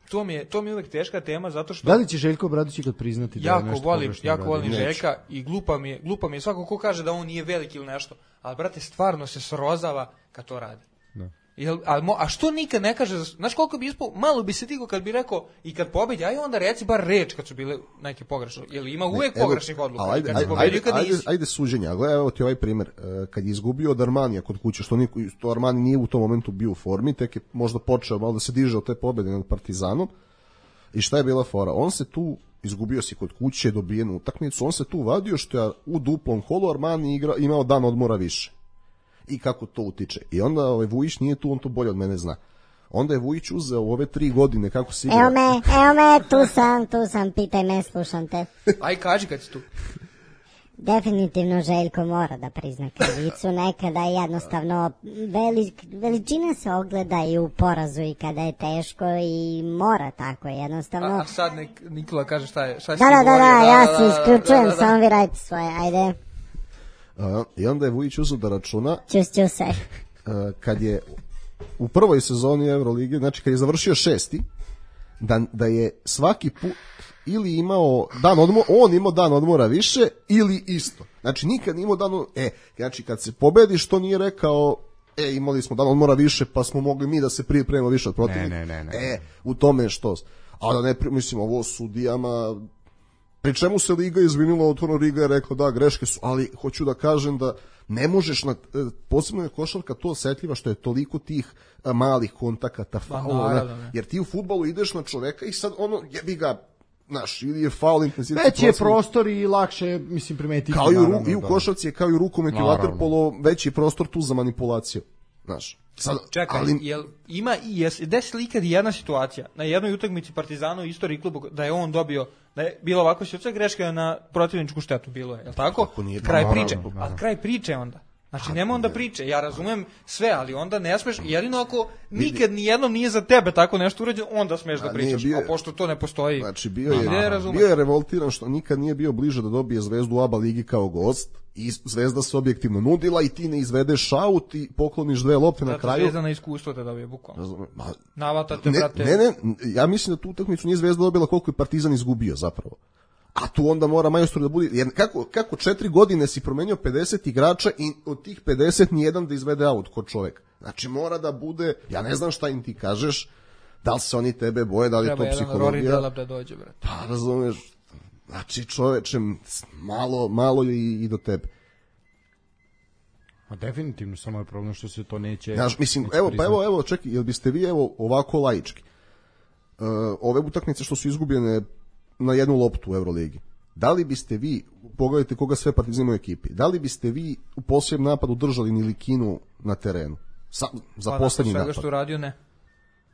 To mi je, to mi je uvek teška tema, zato što... Da li će Željko Obradović ikad priznati da je jako nešto volim, pogrešno jako uradio? volim Neće. Željka i glupa mi je, glupa mi je svako ko kaže da on nije veliki ili nešto, ali brate stvarno se srozava kad to radi. Da. Jel, a, mo, a što nikad ne kaže, za- znaš koliko bi ispao, malo bi se tigo kad bi rekao i kad pobedi, aj onda reci bar reč kad su bile neke pogrešne, jel ima uvek Evo, pogrešnih odluka, ali i ajde, kad si ajde, pobedio i ajde, kad ajde, nisi. ajde suđenja, a gledaj, evo ti ovaj primjer, e, kad je izgubio od Armanija kod kuće, što niko, to Armani nije u tom momentu bio u formi, tek je možda počeo malo da se diže od te pobede nad Partizanom, i šta je bila fora? On se tu, izgubio si kod kuće, dobijenu utakmicu, on se tu vadio što je u duplom holu Armani igra, imao dan odmora više. I kako to utiče. I onda ovaj, Vujić nije tu, on to bolje od mene zna. Onda je Vujić uzeo u ove tri godine kako se igra. Evo me, evo me, tu sam, tu sam, pitaj me, slušam te. Aj kaži kad si tu. Definitivno Željko mora da prizna krivicu, nekada jednostavno velik, veličina se ogleda i u porazu i kada je teško i mora tako jednostavno. A, a sad nek Nikola kaže šta je, šta je Da, da, da, da, ja se isključujem, samo vi radite svoje, ajde, A, I onda je Vujić uzeo da računa čus, čus se. a, kad je u prvoj sezoni Evrolige, znači kad je završio šesti, da, da je svaki put ili imao dan odmora, on imao dan odmora više ili isto. Znači nikad nije imao dan odmora, e, znači kad se pobediš to nije rekao, e, imali smo dan odmora više pa smo mogli mi da se pripremimo više od protivnika. Ne, ne, ne, ne. E, u tome je što. A da ne, pri- mislim, ovo sudijama, pri čemu se Liga izvinila, otvorno Liga je rekla da, greške su, ali hoću da kažem da ne možeš, na, posebno je košarka to osetljiva što je toliko tih a, malih kontakata, faulova, naravno, ne. jer ti u fudbalu ideš na čoveka i sad ono, jebi ga, znaš, ili je faul intenzitet. Veći je procent. prostor i lakše, mislim, primetiti. Kao i u, ru- naravno, i u da. košarci je kao i u rukometu i Naravno. vaterpolo, veći prostor tu za manipulaciju. Znaš, sad, Čekaj, ali, jel ima i jes desila ikad i jedna situacija na jednoj utakmici Partizana u istoriji kluba da je on dobio, da je bilo ovako situacija, greška na protivničku štetu bilo je, je l' tako? Tako nije, kraj naravno, priče, naravno. ali kraj priče onda. Znači, nema onda priče, ja razumem sve, ali onda ne smeš, jedino ako nikad nijednom nije za tebe tako nešto urađeno, onda smeš da pričaš, a, a pošto to ne postoji. Znači, bio je, a, bio je revoltiran što nikad nije bio bliže da dobije Zvezdu u A B A ligi kao gost, i Zvezda se objektivno nudila i ti ne izvedeš aut i pokloniš dve lopte na kraju. Zvezda na iskustvo te dobije, bukvalno. Navatate, ne, brate. Ne, ne, ja mislim da tu utakmicu nije Zvezda dobila koliko je Partizan izgubio zapravo. A tu onda mora majstor da bude, jer kako, kako četiri godine si promenio pedeset igrača i od tih pedeset nijedan da izvede aut kod čoveka. Znači mora da bude, ja ne znam šta im ti kažeš, da li se oni tebe boje, da li je to psihologija. Treba jedan Rory Delap da dođe, brate. Pa razumeš, znači čoveče, malo, malo i, i do tebe. A definitivno, samo je problem što se to neće... Znaš, mislim, neće evo, pa evo, evo, čekaj, jel biste vi, evo, ovako laički, uh, ove utakmice što su izgubljene na jednu loptu u Euroligi, da li biste vi, pogledajte koga sve Partizan u ekipi, da li biste vi u posljednjem napadu držali Nilikinu na terenu? Sa, za pa, poslednji napad. Pa što uradio, ne.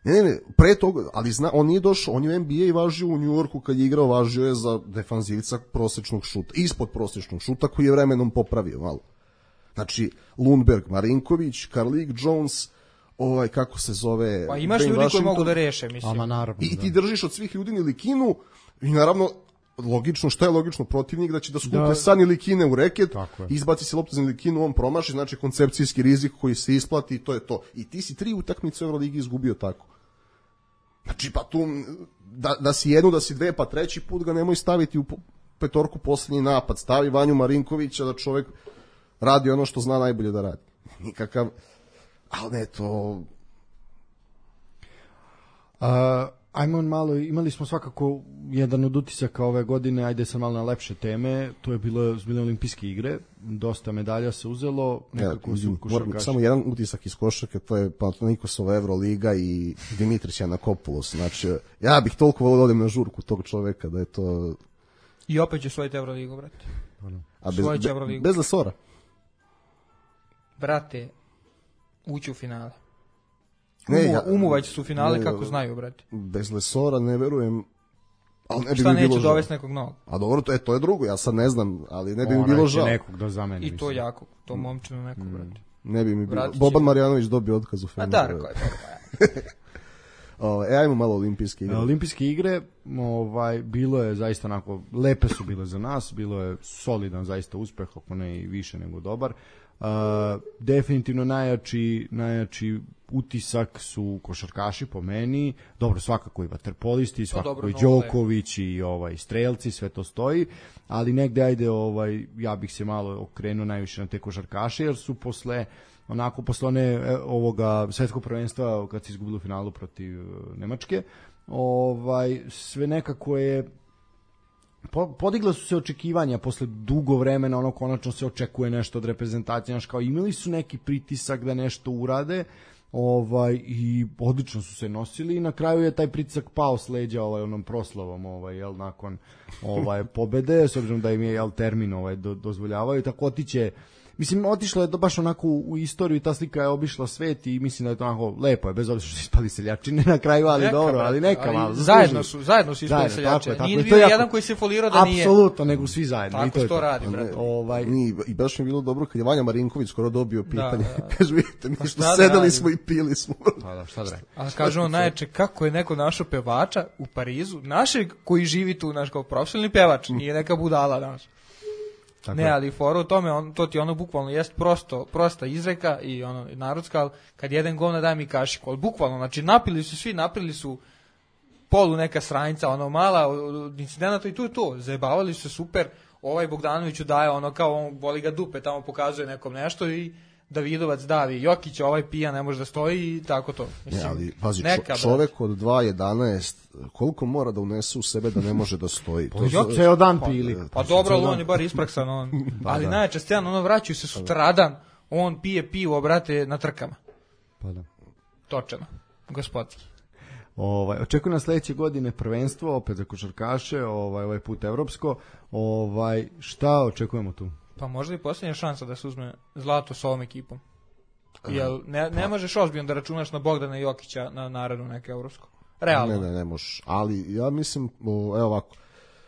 Ne, ne, ne, pre toga, ali zna, on nije došao, on je u N B A i važio u New Yorku kad je igrao, važio je za defanzivca prosječnog šuta, ispod prosječnog šuta koji je vremenom popravio malo. Znači, Lundberg, Marinković, Karlik Jones, ovaj, kako se zove... Pa imaš ljudi koji mogu da reše, mislim. Ama, naravno, I ti držiš od svih ljudi Nilikinu i naravno, logično, šta je logično, protivnik da će da skupe da, sa Nilikine u reket, izbaci se loptu za Nilikinu, on promaši, znači koncepcijski rizik koji se isplati i to je to. I ti si tri utakmice u Euroligi izgubio tako. Znači, pa tu, da, da si jednu, da si dve, pa treći put ga nemoj staviti u petorku posljednji napad. Stavi Vanju Marinkovića da čovjek radi ono što zna najbolje da radi. Nikakav, ali ne, to... Uh, ajmo malo, imali smo svakako jedan od utisaka ove godine, ajde sam malo na lepše teme, to je bilo bile olimpijske igre, dosta medalja se uzelo, nekako ja, su košarkaši. Samo jedan utisak iz košarke, to je Panathinaikosova Euroliga i Dimitrić Janakopoulos, znači ja bih toliko volio da odem na žurku tog čoveka da je to... I opet će svojiti Euroligu, brate. A bez, be, bez Lesora? Brate, ući u finale. Ne, Umu, ja, umuvać su finale ne, kako znaju, brate. Bez Lesora ne verujem. Ali ne bi šta mi bilo neće žao. dovesti nekog novog? A dobro, to je, to je drugo, ja sad ne znam, ali ne bi mi bilo žao. Nekog da zameni. I to mislim. Jako, to momčino nekog, mm. brate. Ne bi mi bilo. Vratit Boban Marjanović dobio otkaz u Feneru. A Darko je to. E, ajmo malo olimpijske igre. Olimpijske igre, ovaj, bilo je zaista onako, lepe su bile za nas, bilo je solidan zaista uspeh, ako ne i više nego dobar. Uh, definitivno najjači, najjači utisak su košarkaši po meni, dobro svakako i vaterpolisti, svakako i Đoković i ovaj strelci, sve to stoji, ali negde ajde ovaj ja bih se malo okrenuo najviše na te košarkaše jer su posle onako posle one ovoga svetskog prvenstva kad se izgubilo u finalu protiv Nemačke, ovaj sve nekako je podigla su se očekivanja posle dugo vremena, ono konačno se očekuje nešto od reprezentacije, znaš, kao imali su neki pritisak da nešto urade, ovaj i odlično su se nosili i na kraju je taj pritisak pao s leđa ovaj onom proslavom, ovaj jel nakon ovaj pobede, s obzirom da im je jel termin ovaj do, dozvoljavaju, tako otiće. Mislim, otišlo je to baš onako u, u istoriju i ta slika je obišla svet i mislim da je to onako lepo je, bez obzira što su ispali seljačine na kraju, ali neka, dobro, ali neka ali malo. Zajedno su, zajedno su ispali seljačine. Nije bio jedan koji se folirao da nije. Apsolutno, nego svi zajedno. Tako i to, to, je to radi, brate. Ovaj... I, I baš mi je bilo dobro kad je Vanja Marinković skoro dobio pitanje. Da, da. Kaže, vidite, mi što pa sedali da smo i pili smo. Pa da, šta da radi. A kaže on najče kako je neko našo pevača u Parizu, našeg koji živi tu, naš kao profesionalni pevač, nije neka budala danas. Tako ne, ali fora u tome, on, to ti ono bukvalno jest prosto, prosta izreka i ono narodska, kad jedan govna daj mi kašiku, ali bukvalno, znači napili su svi, napili su polu neka stranica, ono mala incidenata i tu je to, zajebavali su se super, ovaj Bogdanoviću daje ono kao on voli ga dupe, tamo pokazuje nekom nešto i Davidovac davi, Jokić ovaj pija ne može da stoji i tako to. Mislim, ne, ali pazi, neka, čovek od dva jedanaest koliko mora da unese u sebe da ne može da stoji? To je ceo dan pili. Pa, pa dobro, ali on je bar ispraksan, on. Ali da. Najčešće scena, ono vraćaju se sutradan, on pije pivo, brate, na trkama. Pa da. Točeno, gospodski. Ovaj očekuje nas sledeće godine prvenstvo opet za košarkaše, ovaj ovaj put evropsko. Ovaj šta očekujemo tu? Pa možda i posljednja šansa da se uzme zlato s ovom ekipom. Jel ne, ne možeš ozbiljno da računaš na Bogdana Jokića na narednu neke evropsko. Realno. Ne, ne, ne možeš. Ali ja mislim, o, evo ovako,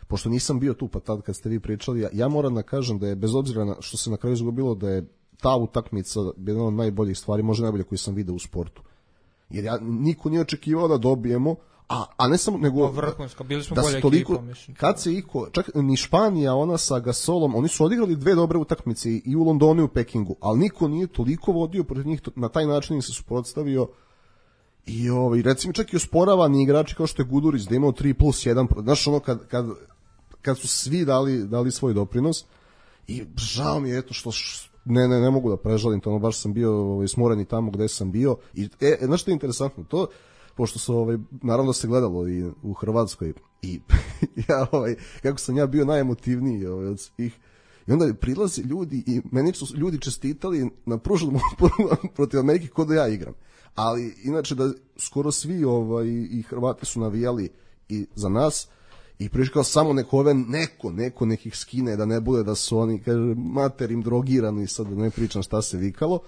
pošto nisam bio tu pa tad kad ste vi pričali, ja, ja moram da kažem da je bez obzira na što se na kraju izgubilo da je ta utakmica jedna od najboljih stvari, možda najbolje koji sam video u sportu. Jer ja, niko nije očekivao da dobijemo, a, a ne samo, nego vrhunska, bili smo da bolja toliko, ekipa, mislim. Kad se iko, čak ni Španija, ona sa Gasolom, oni su odigrali dve dobre utakmice i u Londonu i u Pekingu, ali niko nije toliko vodio protiv njih, na taj način im se suprotstavio. I ovaj, recimo čak i osporavani igrači kao što je Gudurić da imao tri plus jedan, znaš ono kad, kad, kad su svi dali, dali svoj doprinos i žao mi je eto što š, ne, ne, ne mogu da prežalim to, ono, baš sam bio ovaj, smoren i tamo gde sam bio i e, znaš što je interesantno, to pošto se ovaj, naravno se gledalo i u Hrvatskoj i ja ovaj, kako sam ja bio najemotivniji ovaj, od svih. I onda prilaze ljudi i meni su ljudi čestitali na pruženom protiv Amerike kod da ja igram. Ali inače da skoro svi ovaj, i Hrvati su navijali i za nas i priškao samo neko ove neko, neko nekih skine da ne bude da su oni, kaže, materim drogirani, sad da ne pričam šta se vikalo.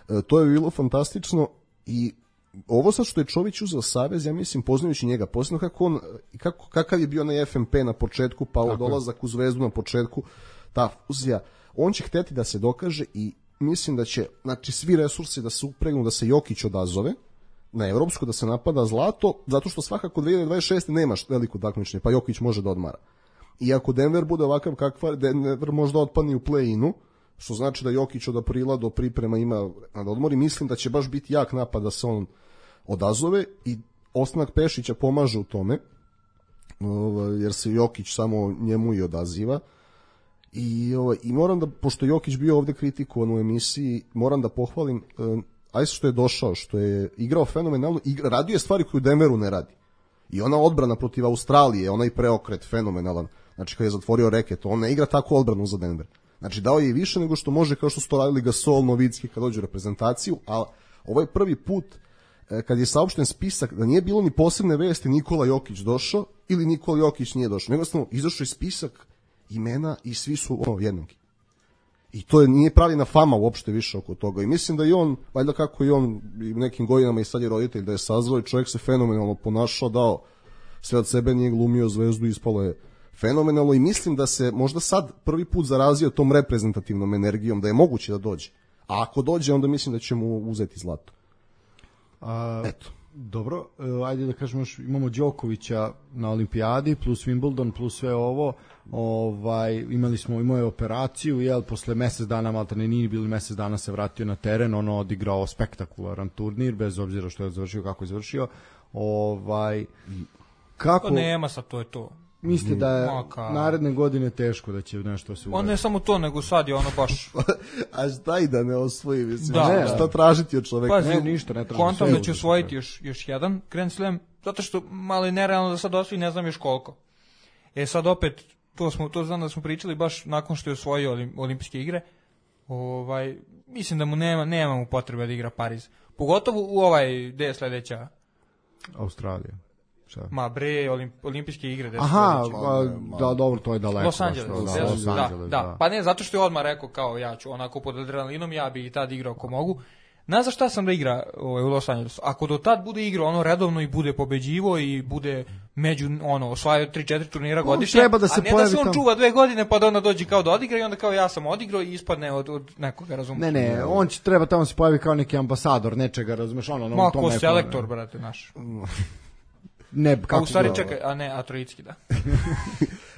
E, to je bilo fantastično i ovo sad što je Čović uzeo savez, ja mislim, poznajući njega, posebno kako on, kako, kakav je bio onaj F M P na početku, pa ovo dolazak u Zvezdu na početku, ta fuzija, on će hteti da se dokaže i mislim da će, znači, svi resursi da se upregnu, da se Jokić odazove na evropsko, da se napada zlato, zato što svakako dve hiljade dvadeset šeste nemaš veliko takmičenje, pa Jokić može da odmara. I ako Denver bude ovakav kakva, Denver možda otpadne u play-inu, što znači da Jokić od aprila do priprema ima na odmori, mislim da će baš biti jak napad da se on odazove i ostanak Pešića pomaže u tome, jer se Jokić samo njemu i odaziva. I, ovaj, i moram da, pošto Jokić bio ovde kritikovan u emisiji, moram da pohvalim um, aj što je došao, što je igrao fenomenalno, igra, radio je stvari koju Denveru ne radi. I ona odbrana protiv Australije, onaj preokret fenomenalan, znači kad je zatvorio reket, on ne igra tako odbranu za Denver. Znači dao je i više nego što može, kao što su to radili Gasol, Novicki kad dođu u reprezentaciju, a ovo je prvi put kad je saopšten spisak da nije bilo ni posebne vesti Nikola Jokić došao ili Nikola Jokić nije došao, nego samo izašao je spisak imena i svi su ono jednaki. I to je, nije pravljena fama uopšte više oko toga. I mislim da i on, valjda kako i on i nekim godinama i sad je roditelj, da je sazvao i čovjek se fenomenalno ponašao, dao sve od sebe, nije glumio Zvezdu, ispalo je fenomenalno i mislim da se možda sad prvi put zarazio tom reprezentativnom energijom, da je moguće da dođe. A ako dođe, onda mislim da će mu uzeti zlato. A, eto. Dobro, ajde da kažemo, imamo Đokovića na olimpijadi plus Wimbledon plus sve ovo, ovaj, imali smo, imao je operaciju, jel, posle mesec dana, malta ne nije bili mesec dana, se vratio na teren, ono odigrao spektakularan turnir, bez obzira što je završio, kako je završio, ovaj, kako... To nema sad, to je to. Mislite da je Maka. Naredne godine teško da će nešto se uraditi? On ne samo to, nego sad je ono baš... A šta i da ne osvoji, mislim, da, ne, šta tražiti od čoveka? Pazi, ne, ništa, ne traži. Kontam da će osvojiti još, još jedan Grand Slam, zato što malo je nerealno da sad osvoji, ne znam još koliko. E sad opet, to, smo, to znam da smo pričali baš nakon što je osvojio olim, olimpijske igre, ovaj, mislim da mu nema, nema mu potrebe da igra Pariz. Pogotovo u ovaj, gde je sledeća? Australija. Šta? Ma bre, olimp, olimpijske igre. Aha, a, da, dobro, to je daleko. Los Angeles, da, da, Los da, Angeles, da, da. Pa ne, zato što je odmah rekao kao ja ću onako pod adrenalinom, ja bi i tad igrao ako mogu. Znaš za šta sam da igra ovaj, u Los Angelesu? Ako do tad bude igrao ono redovno i bude pobeđivo i bude među, ono, osvajao tri četiri turnira godišnje, treba da se a ne da se on tam... čuva dve godine pa da onda dođe kao da odigra i onda kao ja sam odigrao i ispadne od, od nekoga, razumiješ? Ne, ne, on će treba tamo se pojavi kao neki ambasador nečega, razumiješ? Ono, ono, Ma, ko selektor, brate, naš. Ne, kako a u stvari čekaj, a ne, a Trojicki, da.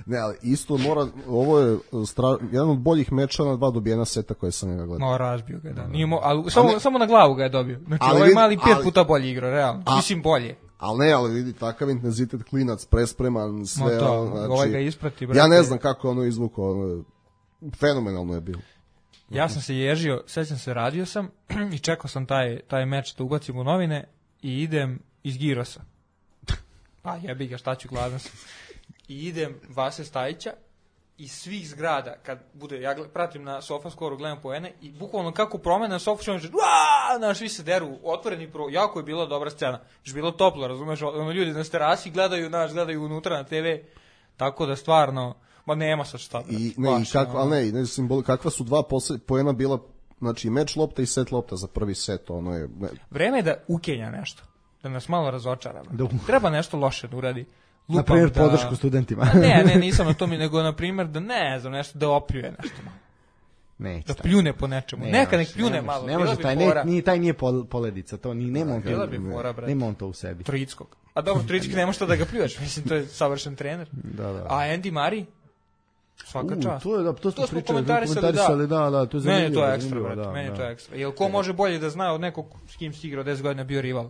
Ne, ali isto mora, ovo je stra, jedan od boljih meča na dva dobijena seta koje sam ga gledao. No, razbio ga, da. Nije mo, ali samo, ne, samo na glavu ga je dobio. Znači, ali, ovaj mali pet ali, puta bolje igrao, realno. A, mislim, bolje. Ali ne, ali vidi, takav intenzitet, klinac, prespreman, sve. To, znači, ovaj ga isprati, brate. Ja ne znam kako ono izvukao, ono, fenomenalno je bilo. Ja sam se ježio, sećam se, radio sam i čekao sam taj, taj meč da ubacim u novine i idem iz Girosa. Pa jebi ga, šta ću, gladan sam. I idem Vase Stajića iz svih zgrada, kad bude, ja gled, pratim na SofaScore-u, gledam poene i bukvalno kako promene na sofa, što naš, svi se deru, otvoreni pro, jako je bila dobra scena, još bilo toplo, razumeš, ono, ljudi na terasi gledaju, naš, gledaju unutra na te ve, tako da stvarno, ma nema sad šta. I, ne, baš, i kakva, ali ne, ne simboli, kakva su dva posle, poena bila, znači meč lopta i set lopta za prvi set, ono je... Ne. Vreme je da ukenja nešto, da nas malo razočara. Treba nešto loše da uradi. Lupam, na primjer, da... podršku studentima. Ne, ne, nisam na to mi, nego na primjer da ne znam, nešto da opljuje nešto. Neće da taj. pljune po nečemu. Ne Neka može, nek pljune ne može, malo. Ne bila može, bi taj, fora. ne, ni, taj nije pol, poledica, to ni, nema on to, Bila bi fora, brate. nema on to u sebi. Trojickog. A dobro, Trojički nema što da ga pljuješ, mislim, to je savršen trener. Da, da. A Andy Murray? Svaka U, čast. to je, da, to smo To smo pričali, komentarisali, komentarisali, da, da, to je Meni je zanimljivo. to ekstra, zanimljivo, brate, da, meni je da. to ekstra. Jel ko može bolje da zna od nekog s kim si igrao deset godina bio rival?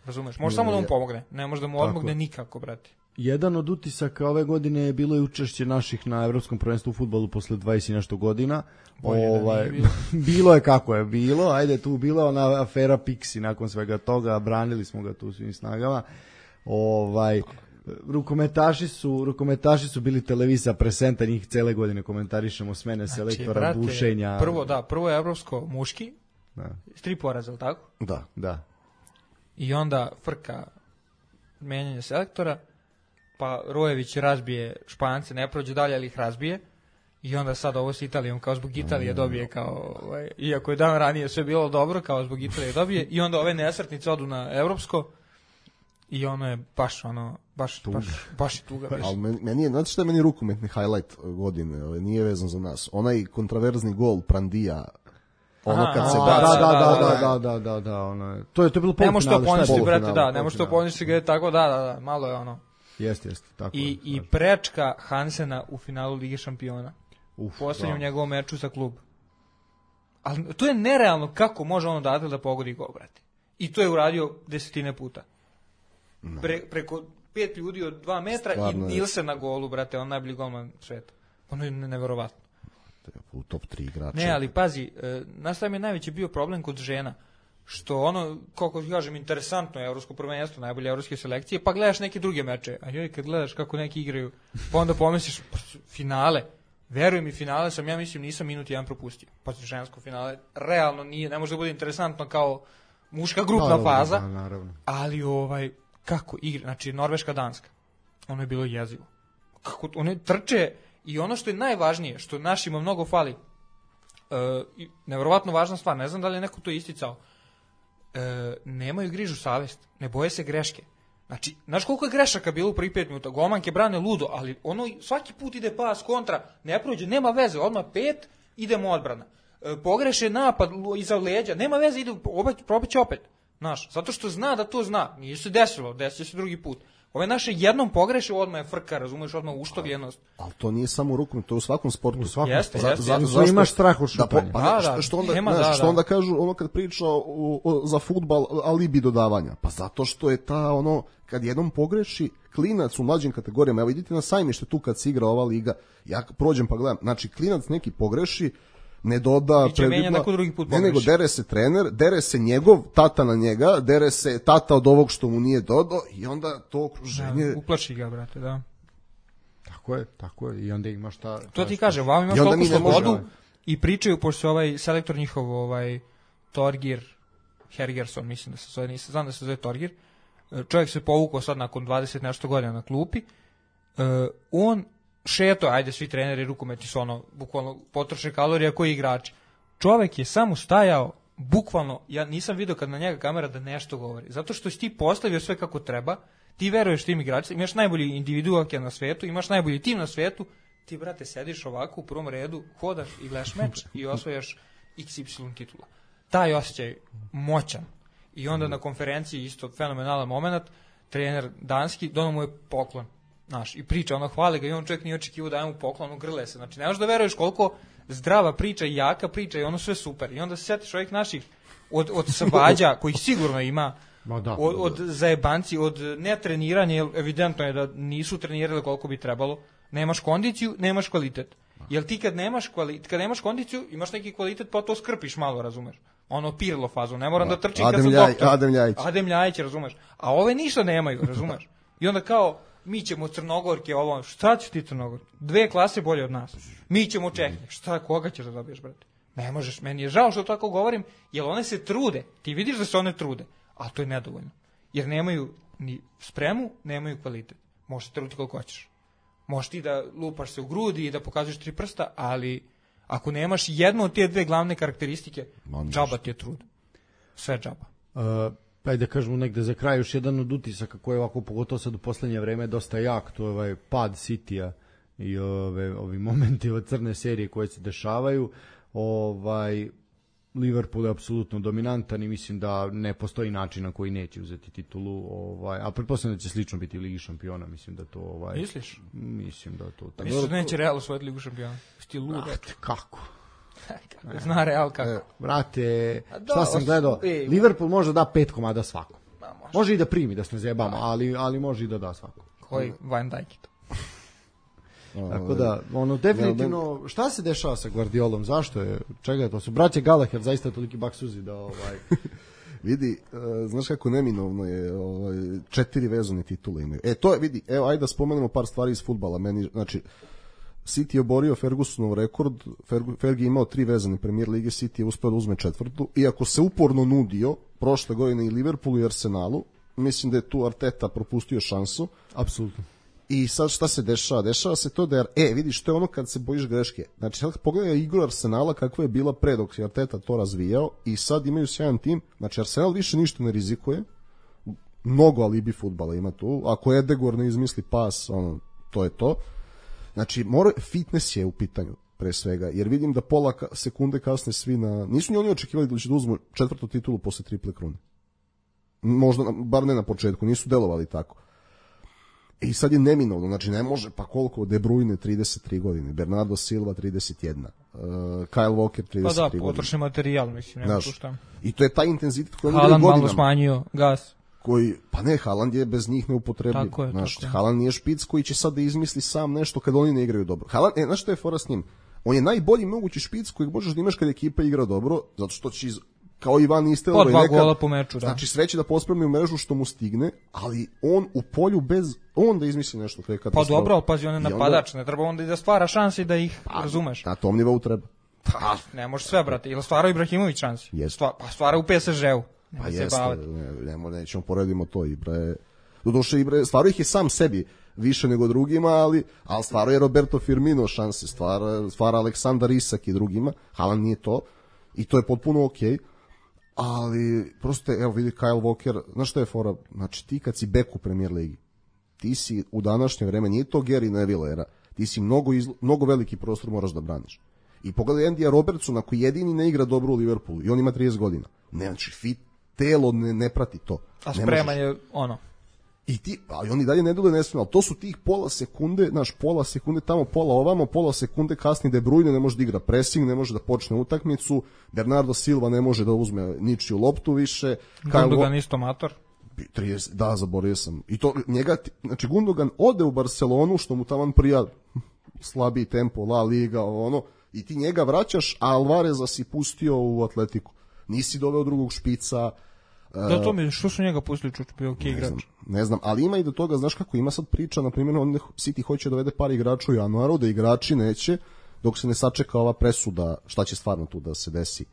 Razumeš? Može samo da mu pomogne, ne može da mu odmogne nikako, brate. Jedan od utisaka ove godine je bilo i učešće naših na Evropskom prvenstvu u fudbalu posle dvadeset i nešto godina. Bolje da Ovaj, nije bilo. bilo je kako je bilo, ajde tu bila ona afera Pixi nakon svega toga, branili smo ga tu svim snagama. Ovaj, rukometaši su, rukometaši su bili televizija presenta, njih cele godine komentarišemo smene selektora, brate, bušenja. Prvo, da, prvo je evropsko muški, Da, s tri poraza, ali tako? Da. da. I onda frka menjanje selektora, pa Rojević razbije Špance, ne prođe dalje, ali ih razbije. I onda sad ovo s Italijom, kao zbog Italije dobije, kao, ovaj, iako je dan ranije sve bilo dobro, kao zbog Italije dobije. I onda ove nesretnice odu na evropsko i ono je baš, ono, baš, baš, baš je tuga. Ali meni, meni je, znate šta je meni rukometni highlight godine, ovaj, nije vezan za nas. Onaj kontraverzni gol Prandija, ono Aha, kad se a, Da, baca. da, da, da, da, da, da, da, da, ono je. To je to je bilo Ne može to polufinale, šta je poništi, bilo? brate, Polufinale, da, ne može to polufinale. poništi ga je tako, da, da, da, malo je ono. Jeste, jeste, tako. I, je, i da. prečka Hansena u finalu Lige šampiona. Uf, U poslednjem da. njegovom meču za klub. Ali to je nerealno kako može on odatle da pogodi gol, brate. I to je uradio desetine puta. Pre, preko pet ljudi od dva metra Stvarno i je. Nilsen na golu, brate, on najbolji golman sveta. Ono je neverovatno. U top tri igrača. Ne, ali pazi, e, znaš šta mi je najveći bio problem kod žena? Što ono, kako kažem, interesantno je evropsko prvenstvo, najbolje evropske selekcije, pa gledaš neke druge meče, a joj, kad gledaš kako neki igraju, pa onda pomisliš, pa, finale, veruj mi, finale sam, ja mislim, nisam minut jedan propustio. Pa žensko finale, realno nije, ne može da bude interesantno kao muška grupna Da, da, faza, da, naravno. ali ovaj, kako igra, znači Norveška, Danska, ono je bilo jezivo. Kako, one trče i ono što je najvažnije, što našima mnogo fali, uh, nevjerovatno važna stvar, ne znam da li je neko to isticao, e, nemaju grižu savest, ne boje se greške. Znači, znaš koliko je grešaka bilo u prvih pet minuta, golmanke brane ludo, ali ono svaki put ide pas kontra, ne prođe, nema veze, odmah pet, idemo odbrana. E, pogreše napad iza leđa, nema veze, ide, probaće opet. Znaš, zato što zna da to zna, nije se desilo, desit se drugi put. Ove naše jednom pogreše, odmah je frka, razumeš, odmah uštavljenost. Ali to nije samo u rukometu, to je u svakom sportu. U svakom Jeste, sportu. jeste, Zato jeste. što Zašto? imaš strah od Da, po- šutanja. pa Da, ne, da, što, što onda, nema, znaš, da, što da. onda kažu ono kad priča o, o, za fudbal alibi dodavanja. Pa zato što je ta ono, kad jednom pogreši klinac u mlađim kategorijama, evo idite na sajmište tu kad se igra ova liga, ja prođem pa gledam, znači klinac neki pogreši, ne doda, I će menja neko drugi put ne, nego pogreši. dere se trener, dere se njegov tata na njega, dere se tata od ovog što mu nije dodao i onda to okruženje... Da, uplaši ga, brate, da. Tako je, tako je. I onda imaš ta... To ta- ti kažem, vam imaš I onda toliko mi ne možemo- slobodu i pričaju, pošto se ovaj selektor njihov, ovaj Torgir Hergersson, mislim da se zove, nisam, znam da se zove Torgir, čovjek se povukao sad nakon dvadeset nešto godina na klupi, uh, on šeto, ajde svi treneri rukometi su ono, bukvalno potroše kalorija koji igrači. Čovjek je samo stajao, bukvalno, ja nisam vidio kad na njega kamera da nešto govori, zato što si ti postavio sve kako treba, ti veruješ tim igračima, imaš najbolji individualke na svetu, imaš najbolji tim na svetu, ti, brate, sediš ovako u prvom redu, hodaš i gledaš meč i osvajaš iks ipsilon titula. Taj osjećaj moćan. I onda na konferenciji isto fenomenalan moment, trener danski, dono mu je poklon. Znaš, i priča, ono hvali ga i on čovjek nije očekivao da mu poklon, ono grle se. Znači, ne možeš da veruješ koliko zdrava priča i jaka priča i ono sve super. I onda se sjetiš ovih naših od, od svađa, kojih sigurno ima, Ma da. od, od zajebanci, od netreniranja, jer evidentno je da nisu trenirali koliko bi trebalo. Nemaš kondiciju, nemaš kvalitet. Jer ti kad nemaš, kvali, kad nemaš kondiciju, imaš neki kvalitet, pa to skrpiš malo, razumeš. Ono Pirlo fazu, ne moram da, da trčim kad Adem sam Ljaj- doktor. Adem Ljajić. Adem Ljajić, razumeš. A ove ništa nemaju, razumeš. I onda kao, mi ćemo Crnogorke, ovo, šta ćeš ti Crnogorke? Dve klase bolje od nas. Mi ćemo Čehnje. Šta, koga ćeš da dobiješ, brate? Ne možeš, meni je žao što tako govorim, jer one se trude. Ti vidiš da se one trude, a to je nedovoljno. Jer nemaju ni spremu, nemaju kvalitet. Možeš se truditi koliko hoćeš. Možeš ti da lupaš se u grudi i da pokazuješ tri prsta, ali ako nemaš jednu od te dve glavne karakteristike, džaba ti je trud. Sve džaba. Uh, ajde da kažemo negde za kraj još jedan od utisaka koji je ovako pogotovo sad u poslednje vreme dosta jak, to je ovaj pad Citya i ove, ovi momenti od crne serije koje se dešavaju. Ovaj, Liverpool je apsolutno dominantan i mislim da ne postoji način na koji neće uzeti titulu, ovaj, a pretpostavljam da će slično biti u Ligi šampiona, mislim da to ovaj Misliš? Mislim da to tako. Misliš da neće Real osvojiti Ligu šampiona? Ti lud. Brate, kako? Zna Real kako. E, brate, da, šta sam os- gledao? ej, Liverpool može da pet komada svakom. Ma, može. Može i da primi, da se ne zjebamo, ali, ali može i da da svakom. Koji Van Dijk to. Tako da, ono, definitivno, šta se dešava sa Guardiolom, zašto je, čega je to, su braće Gallagher zaista toliki baksuzi da, ovaj... Vidi, uh, znaš kako neminovno je, ovaj, četiri vezane titule imaju. E, to je, vidi, evo, ajde da spomenemo par stvari iz fudbala. Meni, znači, City je oborio Fergusonov rekord, Ferg, Fergie je imao tri vezane Premier Lige, City je uspeo da uzme četvrtu, iako se uporno nudio prošle godine i Liverpoolu i Arsenalu, mislim da je tu Arteta propustio šansu. Apsolutno. I sad šta se dešava? Dešava se to da je, e, vidiš, to je ono kad se bojiš greške. Znači, sad pogledaj igru Arsenala kakva je bila pre dok je Arteta to razvijao i sad imaju sjajan tim. Znači, Arsenal više ništa ne rizikuje. Mnogo alibi fudbala ima tu. Ako Edegor ne izmisli pas, ono, to je to. Znači, mora, fitness je u pitanju pre svega, jer vidim da pola ka, sekunde kasne svi na... Nisu ni oni očekivali da će da uzmu četvrtu titulu posle triple krune. Možda, bar ne na početku, nisu delovali tako. I sad je neminovno, znači ne može, pa koliko, De Bruyne trideset tri godine, Bernardo Silva trideset jedna, uh, Kyle Walker trideset tri Pa da, godine. potrošni materijal, mislim, nema tu šta. I to je taj intenzitet koji Haaland malo godinama. smanjio gas. Koji, pa ne, Haaland je bez njih neupotrebljiv. Tako je, znaš, tako je. Haaland nije špic koji će sad da izmisli sam nešto kad oni ne igraju dobro. Haaland, e, znaš što je fora s njim? On je najbolji mogući špic kojeg možeš da imaš kad ekipa igra dobro, zato što će iz, kao Ivan Nistelrooy Po dva nekad, gola po meču, da. znači sve će da pospremi u mrežu što mu stigne, ali on u polju bez, on da izmisli nešto, to je Pa katastrofa. dobro, ali pazi, on je I onda- napadač, ne treba onda i da stvara šanse i da ih razumeš. Na tom nivou treba. Pa, ne može sve, brate. Ili stvara Ibrahimović šansi. Jest. Stva, pa stvara u P S G-u. Pa Nemoj se jeste, baviti. ne, ne, nećemo poredimo to, Ibra je, doduše Ibra, stvarno ih je sam sebi više nego drugima, ali, ali stvarno je Roberto Firmino šanse, stvara, stvara Aleksandar Isak i drugima, Haaland nije to, i to je potpuno okej, ali prosto, evo vidi Kyle Walker, znaš što je fora, znači ti kad si bek u Premier Ligi, ti si u današnje vreme, nije to Gary Neville era, ti si mnogo, izlo, mnogo veliki prostor moraš da braniš. I pogledaj Andija Robertsona koji jedini ne igra dobro u Liverpoolu i on ima trideset godina. Ne, znači fit, telo ne, ne prati to. A Ne spreman možeš. je ono. I ti, ali oni dalje ne dole nespremno, ali to su tih pola sekunde, znaš, pola sekunde tamo, pola ovamo, pola sekunde kasni De Bruyne ne može da igra pressing, ne može da počne utakmicu, Bernardo Silva ne može da uzme ničiju loptu više, Kyle Gundogan isto mator. trideset, da, zaboravio sam. I to njega, znači Gundogan ode u Barcelonu, što mu taman prija slabiji tempo, La Liga, ono, i ti njega vraćaš, a Alvareza si pustio u Atletiku. Nisi doveo drugog špica. Da, to mi, što su njega pustili, čuč, bio okej Ne znam, igrač. ne znam, ali ima i do toga, znaš kako ima sad priča, na primjer, on City hoće da dovede par igrača u januaru, da igrači neće, dok se ne sačeka ova presuda, šta će stvarno tu da se desi,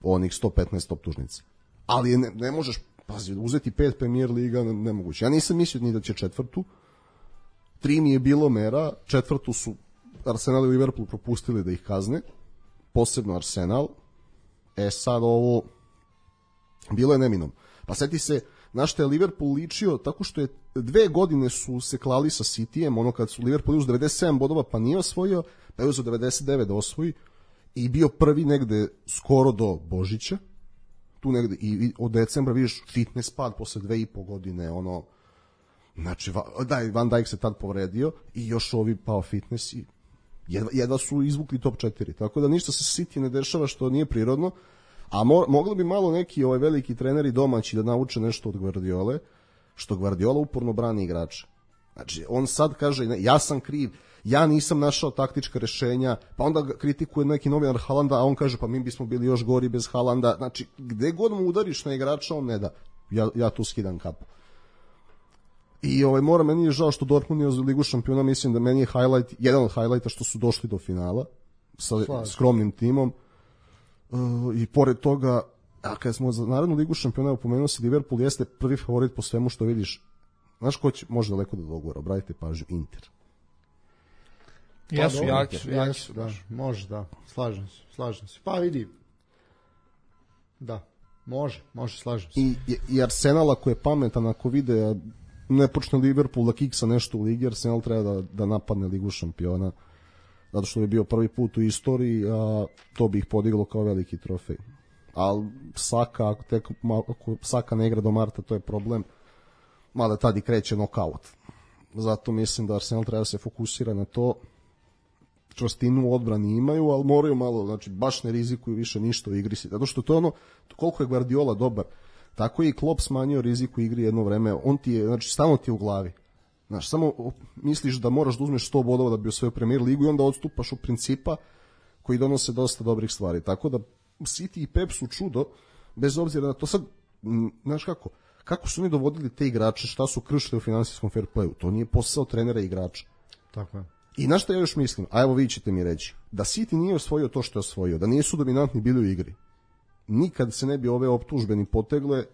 onih sto petnaest optužnica. Ali ne, ne možeš, pazi, uzeti pet Premier Liga, ne, nemoguće. Ja nisam mislio ni da će četvrtu, tri mi je bilo mera, četvrtu su Arsenal i Liverpool propustili da ih kazne, posebno Arsenal. E sad ovo, bilo je neminom. Pa seti se, na što je Liverpool ličio, tako što je dve godine su se klali sa Cityjem, ono kad su Liverpool uz devedeset sedam bodova pa nije osvojio, pa je uzeo devedeset devet da osvoji i bio prvi negde skoro do Božića, tu negde, i od decembra vidiš fitness pad posle dve i po godine, ono, znači, da, Van Dijk se tad povredio i još ovi pao fitness i jedva, jedva su izvukli top četiri, tako da ništa se City ne dešava što nije prirodno. A mo, mogli bi malo neki ovaj veliki treneri domaći da nauče nešto od Guardiole, što Guardiola uporno brani igrača. Znači, on sad kaže, ne, ja sam kriv, ja nisam našao taktička rešenja, pa onda ga kritikuje neki novinar Haalanda, a on kaže, pa mi bismo bili još gori bez Haalanda. Znači, gde god mu udariš na igrača, on ne da. Ja, ja tu skidam kapu. I ovaj, mora, meni je žao što Dortmund je za Ligu šampiona, mislim da meni je highlight, jedan od highlighta što su došli do finala sa Slažem. skromnim timom. Uh, i pored toga, a kada smo za Narodnu ligu šampiona upomenuo se, Liverpool jeste prvi favorit po svemu što vidiš. Znaš ko će, može daleko do dogora, obratite pažnju, Inter. Jesu, dobro, jaki su, jaki jesu, su. da, može, da, slažem se, slažem se. Pa vidi, da, može, može, slažem se. I, i Arsenal ako je pametan, ako vide ne počne Liverpool da kiksa nešto u ligi, Arsenal treba da, da napadne Ligu šampiona. zato što bi bio prvi put u istoriji, a to bi ih podiglo kao veliki trofej. Ali Saka, ako, tek, ako Saka ne igra do marta, to je problem, mada tad i kreće nokaut. Zato mislim da Arsenal treba da se fokusira na to. Čvrstinu u odbrani imaju, ali moraju malo, znači baš ne rizikuju više ništa u igri. Zato što to je ono, koliko je Guardiola dobar, tako je i Klopp smanjio rizik u igri jedno vreme. On ti je, znači stalno ti je u glavi. Znaš, samo misliš da moraš da uzmeš sto bodova da bi osvojio Premier ligu i onda odstupaš od principa koji donose dosta dobrih stvari. Tako da City i Pep su čudo, bez obzira na to. Sad, m, znaš kako, kako su oni dovodili te igrače, šta su kršili u finansijskom fair playu, to nije posao trenera i igrača. Tako je. I na što ja još mislim, a evo vi ćete mi reći, da City nije osvojio to što je osvojio, da nisu dominantni bili u igri, nikad se ne bi ove optužbe ni potegle,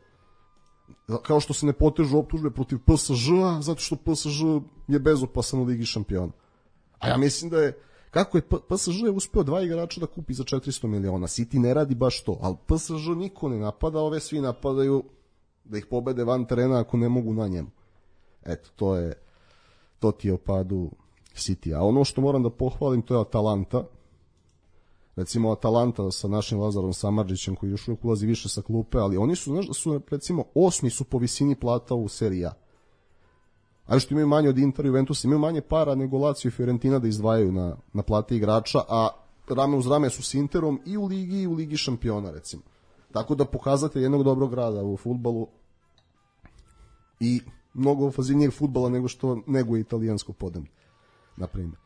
kao što se ne potežu optužbe protiv P S Ž-a, zato što P S Ž je bezopasan u Ligi šampiona. A ja mislim da je, kako je P S Ž je uspeo dva igrača da kupi za četiristo miliona, City ne radi baš to, ali P S Ž niko ne napada, ove svi napadaju da ih pobede van terena ako ne mogu na njemu. Eto, to je, to ti je o padu City. A ono što moram da pohvalim, to je Atalanta. Recimo Atalanta sa našim Lazarom Samardžićem, koji još uvijek ulazi više sa klupe, ali oni su, znaš da su, recimo, osmi su po visini plata u seriji A. A što imaju manje od Inter i Juventusa, imaju manje para nego Lazio i Fiorentina da izdvajaju na, na plate igrača, a rame uz rame su s Interom i u Ligi i u Ligi šampiona, recimo. Tako da pokazate jednog dobrog rada u fudbalu i mnogo ofanzivnijeg fudbala nego što nego italijansko podneblje, na primjer.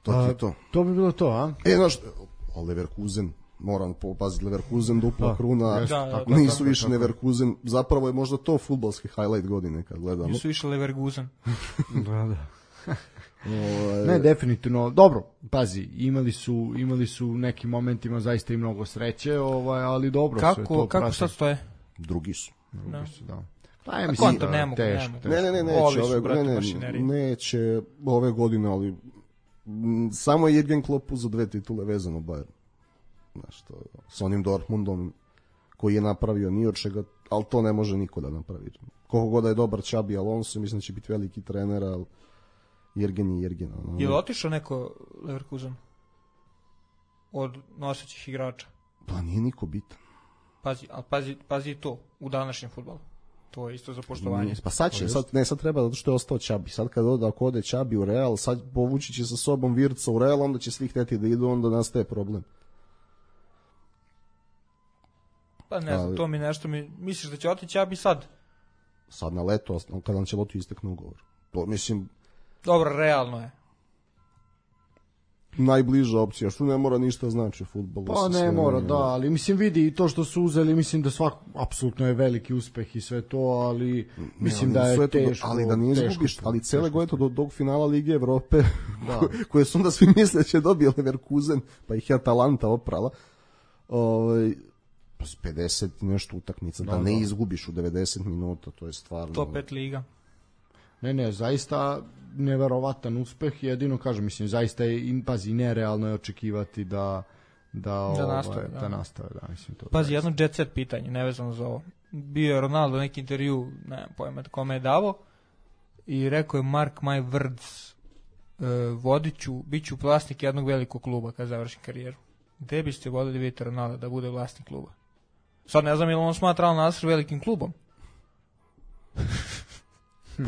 To je to. To bi bilo to, a? E, znaš, Leverkusen, moram popaziti, Leverkusen, dupla Da, kruna, jeste, da, tako, da, nisu tako, više tako. Leverkusen, zapravo je možda to fudbalski highlight godine kad gledamo. Nisu više Leverkusen. Da, da. Ovaj, Ne, definitivno. Dobro, pazi, imali su imali su u nekim momentima zaista i mnogo sreće, ovaj, ali dobro sve Kako, to kako prate. sad stoje? drugi su. Da. Su, da. Pa ja A mislim kontra da ne mogu, teško, ne mogu. teško. Ne, ne, ne, Ovi neće su, ove, brate, ne, ne, mašinerije. neće ove godine, ali m, samo je Jürgen Klopp za dve titule vezano Bayern. Znaš, to, sa onim Dortmundom koji je napravio ni od čega, ali to ne može niko da napravi. Koliko god da je dobar Xabi Alonso, mislim da će biti veliki trener, ali Jürgen je Jürgen. Ono. Je li otišao neko Leverkusen? Od nosećih igrača? Pa nije niko bitan. Pazi, ali pazi, pazi i to u današnjem fudbalu. To je isto za poštovanje. Pa sad će, sad, ne, sad treba zato što je ostao Čabi. Sad kad ode, ako ode Čabi u Real, sad povući će sa sobom Virca u Real, onda će svi hteti da idu, onda nastaje problem. Pa ne znam, Ali- to mi nešto mi... Misliš da će otići, ja bi sad... Sad na leto, kada nam će lotu istekne ugovor. To, mislim, Dobro, realno je. najbliža opcija, što ne mora ništa znači u fudbalu. Pa sa ne sve mora, manje. da, ali mislim vidi i to što su uzeli, mislim da svak apsolutno je veliki uspeh i sve to, ali mislim Ne, da ali je sve to do- teško. ali da ne teško izgubiš, to, ali cele teško godine do tog finala Lige Evrope, Da. koje su onda svi misle da će dobije Leverkusen, pa ih je Atalanta oprala. Ovaj pa s pedeset i nešto utakmica, da, Da, ne da. izgubiš u devedeset minuta, to je stvarno. Top pet liga. Ne, ne, zaista neverovatan uspeh, jedino kažem, mislim, zaista je, in- pazi, nerealno je očekivati da da, ovaj, nastave, da. da nastave, da, mislim to. Pazi, zaista. jedno jet set pitanje, nevezano za ovo. Bio je Ronaldo neki intervju, ne znam pojma kome je davo, i rekao je Mark my words, uh, vodiću, bit ću vlasnik jednog velikog kluba kad završim karijeru. Gde biste voljeli vidjeti Ronaldo da bude vlasnik kluba? Sad ne znam je li on smatra Al Nassr velikim klubom.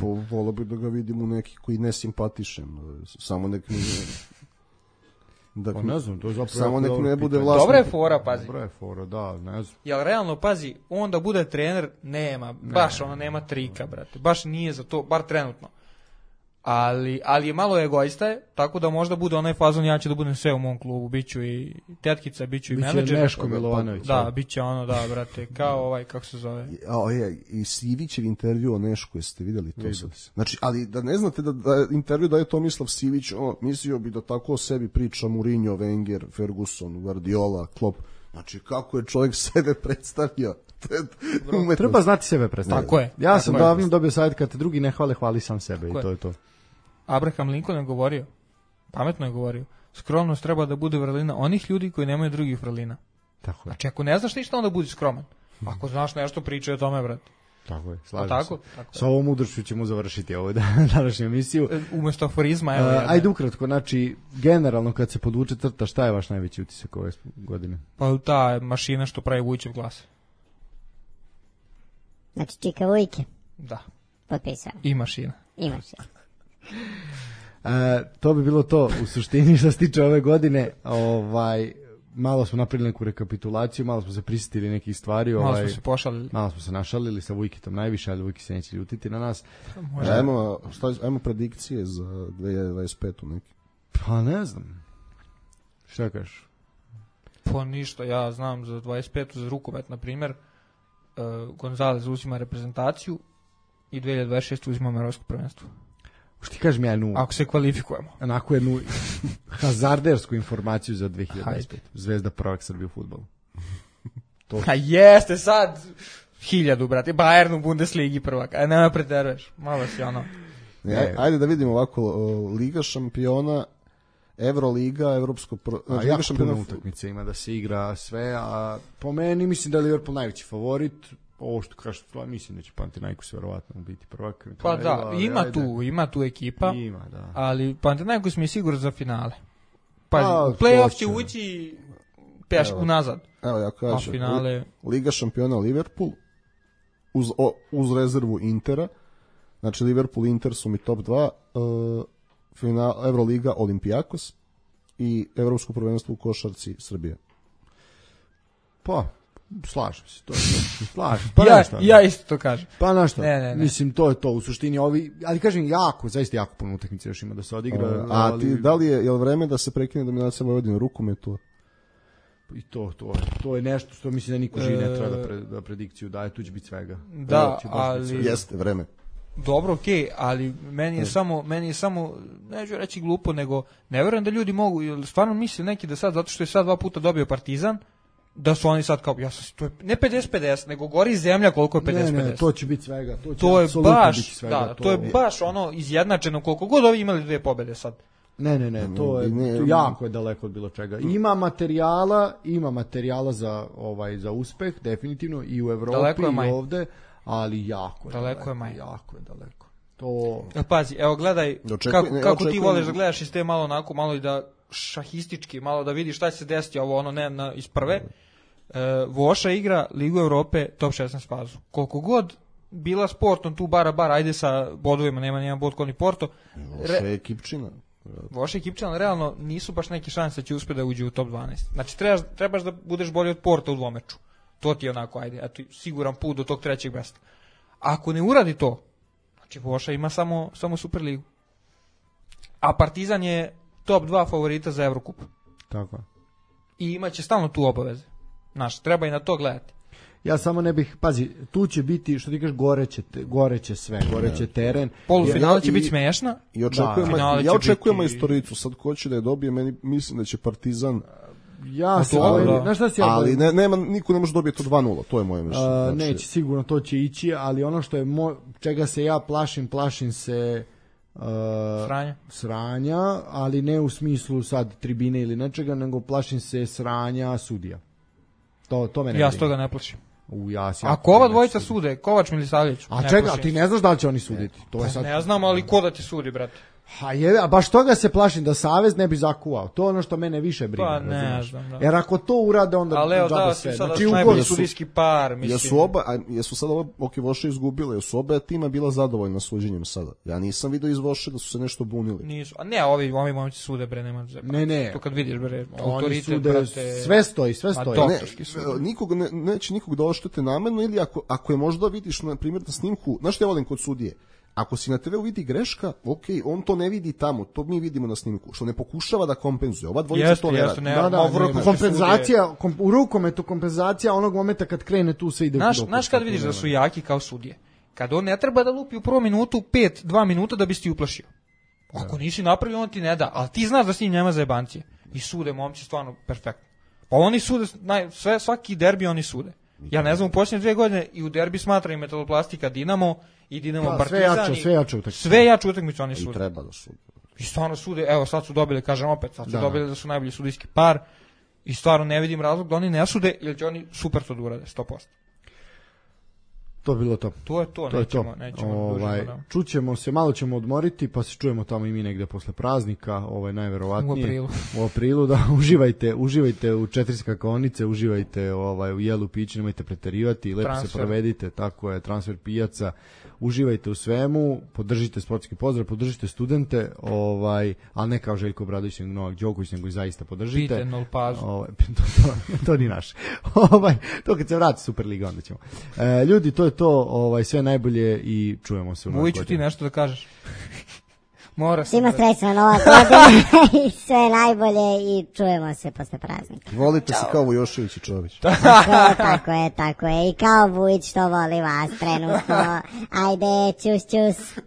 Po, volio bih da ga vidim u neki koji ne simpatišem, samo nek mi da, Pa ne znam, to je zapravo samo jako nek dobro ne bude pitanje. vlasnik. Dobra je fora, pazi. Dobra je fora, da, ne znam. Jel realno, pazi, on da bude trener, nema, baš ono, nema trika, brate. Baš nije za to, bar trenutno. Ali, ali je malo egoista je, tako da možda bude onaj fazon, ja ću da budem sve u mom klubu, bit ću i tetkica, bit ću i Biće menadžer. Neško Milovanović. Da, bit će ono, da, brate, kao ovaj, kako se zove. A, je, i Sivićev intervju o Nešku, jeste vidjeli to Vidio sad? sam. Znači, ali da ne znate da, da intervju daje Tomislav Sivić, on, mislio bi da tako o sebi priča Mourinho, Wenger, Ferguson, Guardiola, Klopp. Znači, kako je čovjek sebe predstavio? To je umetnost. Treba znati sebe predstaviti. Tako je, Ja tako sam je. davno dobio savjet kad te drugi ne hvale, hvali sam sebe Tako i to je. je to. Abraham Lincoln je govorio, pametno je govorio, skromnost treba da bude vrlina onih ljudi koji nemaju drugih vrlina. Tako je. Znači, ako ne znaš ništa, onda budi skroman. Ako znaš nešto, pričaj o tome, brate. Tako je, slažem tako? se. Tako je. Sa ovom mudrošću ćemo završiti ovu današnju emisiju. Umesto aforizma, evo. Uh, jedne. ajde ukratko, znači, generalno kad se podvuče crta, šta je vaš najveći utisak ove godine? Pa ta mašina što pravi Vujićev glas. Znači, Čika Vujke, Da, potpisao. i mašina. Imaš je. E, to bi bilo to u suštini što se tiče ove godine. Ovaj, malo smo napravili neku rekapitulaciju, malo smo se prisjetili nekih stvari. Malo ovaj, smo se pošalili. malo smo se našalili sa Vujkitom najviše, ali Vujki se neće ljutiti na nas. Možda. Ajmo, šta, ajmo predikcije za dve hiljade dvadeset petu neki. Pa ne znam. Šta kažeš? Pa ništa, ja znam za dvadeset petu za rukomet, na primjer, uh, Gonzalez uzima reprezentaciju i dve hiljade dvadeset šeste uzima evropsko prvenstvo. Što ti kažem ja jednu, Ako se kvalifikujemo. onako jednu hazardersku informaciju za dve hiljade dvadeset pet. Zvezda prvak Srbije u fudbalu. A jeste sad hiljadu, brate, Bayern u Bundesligi prvak, a nema preteruješ, malo si ono. Ne, aj- ajde da vidimo ovako, o, Liga šampiona, Euroliga, Evropsko pro... A znači, jako Liga šampiona, puno utakmice ima da se igra sve, a po meni mislim da je Liverpool najveći favorit. Ovo što kažeš, mislim da će Panathinaikos verovatno biti prvak. na Pa kraju, da, ali ima ajde. tu, ima tu ekipa, Ima, da. ali Panathinaikos mi je sigurno za finale. Pazi, A, u play-off to će će. ući peš Evo. unazad, evo ja a kažem, finale... Liga šampiona Liverpool, uz, o, uz rezervu Intera, znači Liverpool, Inter su mi top dva, uh, final, Euroliga, Olympiakos i Evropsko prvenstvo u košarci Srbije. Pa, slažem se. To je to. Slažem. Pa ja, nešto, ja isto to kažem. Pa na što? Ne, ne, ne. Mislim, to je to u suštini ovi, ali kažem jako, zaista jako puno utakmice još ima da se odigra. Uh, a ali, ti, da li je, je li vreme da se prekine dominacija Vojvodine u rukometu? I to, to, to je nešto što mislim da niko živi ne treba da, E, pre, da predikciju daje, tu će biti svega. Da, Ovo će baš biti ali- svega. Jeste, vreme. Dobro, okej, ali meni je samo, meni je samo, neću reći glupo, nego ne verujem da ljudi mogu, jer stvarno misle neki da sad, zato što je sad dva puta dobio Partizan, da su oni sad kao, ja sam, to je ne pedeset pedeset, nego gori zemlja koliko je pedeset Ne, pedeset. ne, to će biti svega. To, će To je apsolutno baš, biti svega, da, to je baš ono izjednačeno, koliko god ovi imali dve pobede sad. Ne, ne, ne, to je Ne, to jako je daleko od bilo čega. Ima materijala, ima materijala za ovaj za uspeh definitivno i u Evropi Daleko je i maj. ovde, ali jako je Daleko je maj. jako je daleko. To E, pazi, evo gledaj, Očekuj- kako, ne, kako ti očekujem- voliš da gledaš iz te malo onako, malo i da šahistički, malo da vidiš šta će se desiti, ovo ono ne na, iz prve. E, Voša igra Ligu Evrope top šesnaest fazu. Koliko god bila sportom tu bara bara, ajde sa bodovima, nema nijedan bod ko ni Porto. Loša je ekipčina. Voša ekipčan, ali realno nisu baš neke šanse da će uspjeti da uđe u top dvanaest. Znači trebaš, trebaš da budeš bolji od Porta u dvomeču. To ti je onako, ajde, eto, siguran put do tog trećeg mesta. Ako ne uradi to, znači Voša ima samo, samo Superligu. A Partizan je top dva favorita za Evrokup. tako. I imaće stalno tu obaveze. Znaš, treba i na to gledati. Ja samo ne bih, pazi, tu će biti, što ti kažeš, goreće, te- goreće sve, goreće teren. Polufinale će i- biti smiješna. I očekujem, Da, finale ja će očekujem biti- majstoricu, sad ko će da je dobije, meni mislim da će Partizan, Ja se dobro. bojim, znaš šta si ja ali bojim? ne, nema, niko ne može dobiti to dva nula, to je moje mišljenje. A, Znači, neće, sigurno to će ići, ali ono što je mo, čega se ja plašim, plašim se uh, Sranja. sranja, ali ne u smislu sad tribine ili nečega, nego plašim se sranja sudija. To, to mene Ja brine. s toga ne plašim. U, ja si Ako ova dvojica sude, Kovač Milisavljević. A ne čega, a plašim ti se. ne znaš da li će oni suditi? To je sad... Ne znam, ali ko da ti sudi, brate? A, je, a baš toga se plašim da Savez ne bi zakuvao. To je ono što mene više brine. Pa ne razumeš? znam, da. Jer ako to urade, onda Ali evo, džaba da, sve. si sada Znači, najbolji ugovor- sudijski par, mislim. jesu oba, a jesu sada oba, ok, Voša izgubile, jesu oba tima bila zadovoljna suđenjem sada. Ja nisam vidio iz Voše da su se nešto bunili. Nisu. A ne, ovi, ovi momci sude, bre, nema zeba. Ne, ne. To kad vidiš, bre, Oni autoritet, sude, brate. sve stoji, sve Ma stoji. to- Ne, Doktorski sud. nikog ne, neće nikog da oštete namerno ili ako, ako je možda vidiš na primjer na snimku, znaš što ja volim kod sudije, ako si na te veu vidi greška, ok, on to ne vidi tamo, to mi vidimo na snimku, što ne pokušava da kompenzuje, ova dvojica Jeste, to ne jeste, radi. ne, Da, ma da, u ne, rukometu kompenzacija, kom, u rukometu kompenzacija onog momenta kad krene tu sve ide Znaš, u dopust, znaš kad tako vidiš da nema. su jaki kao sudije? Kad on ne treba da lupi u prvom minutu pet, dva minuta da bi si ti uplašio. Ako nisi napravio, on ti ne da, ali ti znaš da si njim nema zajebancije. I sude momci stvarno perfektno. Pa oni sude, naj, sve, svaki derbi oni sude. Ja ne znam, u posljednje dvije godine i u derbi smatra i Metaloplastika Dinamo i Dinamo Da, Partizan. sve jače, i- sve jače utakmice. Sve jače utakmice oni I sude. treba da sude. I stvarno sude, evo sad su dobili, kažem opet, sad su Da. dobili da su najbolji sudijski par i stvarno ne vidim razlog da oni ne sude, jer će oni super to da urade, sto posto. To je bilo to. To je to, To je nećemo, to. nećemo Ovaj, dužimo, da. čućemo se, malo ćemo odmoriti, pa se čujemo tamo i mi negde posle praznika, ovaj najverovatnije. U aprilu. U aprilu, da, uživajte, uživajte u četiri skakaonice, uživajte ovaj, u jelu pići, nemojte preterivati, lepo Transfer. se provedite, tako je, transfer pijaca, uživajte u svemu, podržite sportski pozdrav, podržite studente, ovaj, ali ne kao Željko Obradović, nego Novak Đoković, nego i zaista podržite. Pite nol pazu. Ovaj, to, to, to ni naš. Ovaj, to kad se vrati Superliga, onda ćemo. E, ljudi, to je to, ovaj, sve najbolje i čujemo se u novoj Vujiću, ti godini. nešto da kažeš? Mora se. Svima srećna nova godina i sve najbolje i čujemo se posle praznika. Volite se kao Vujošević i Čović. Tako je, tako je, tako je. I kao Vujić što voli vas trenutno. Ajde, čus, čus.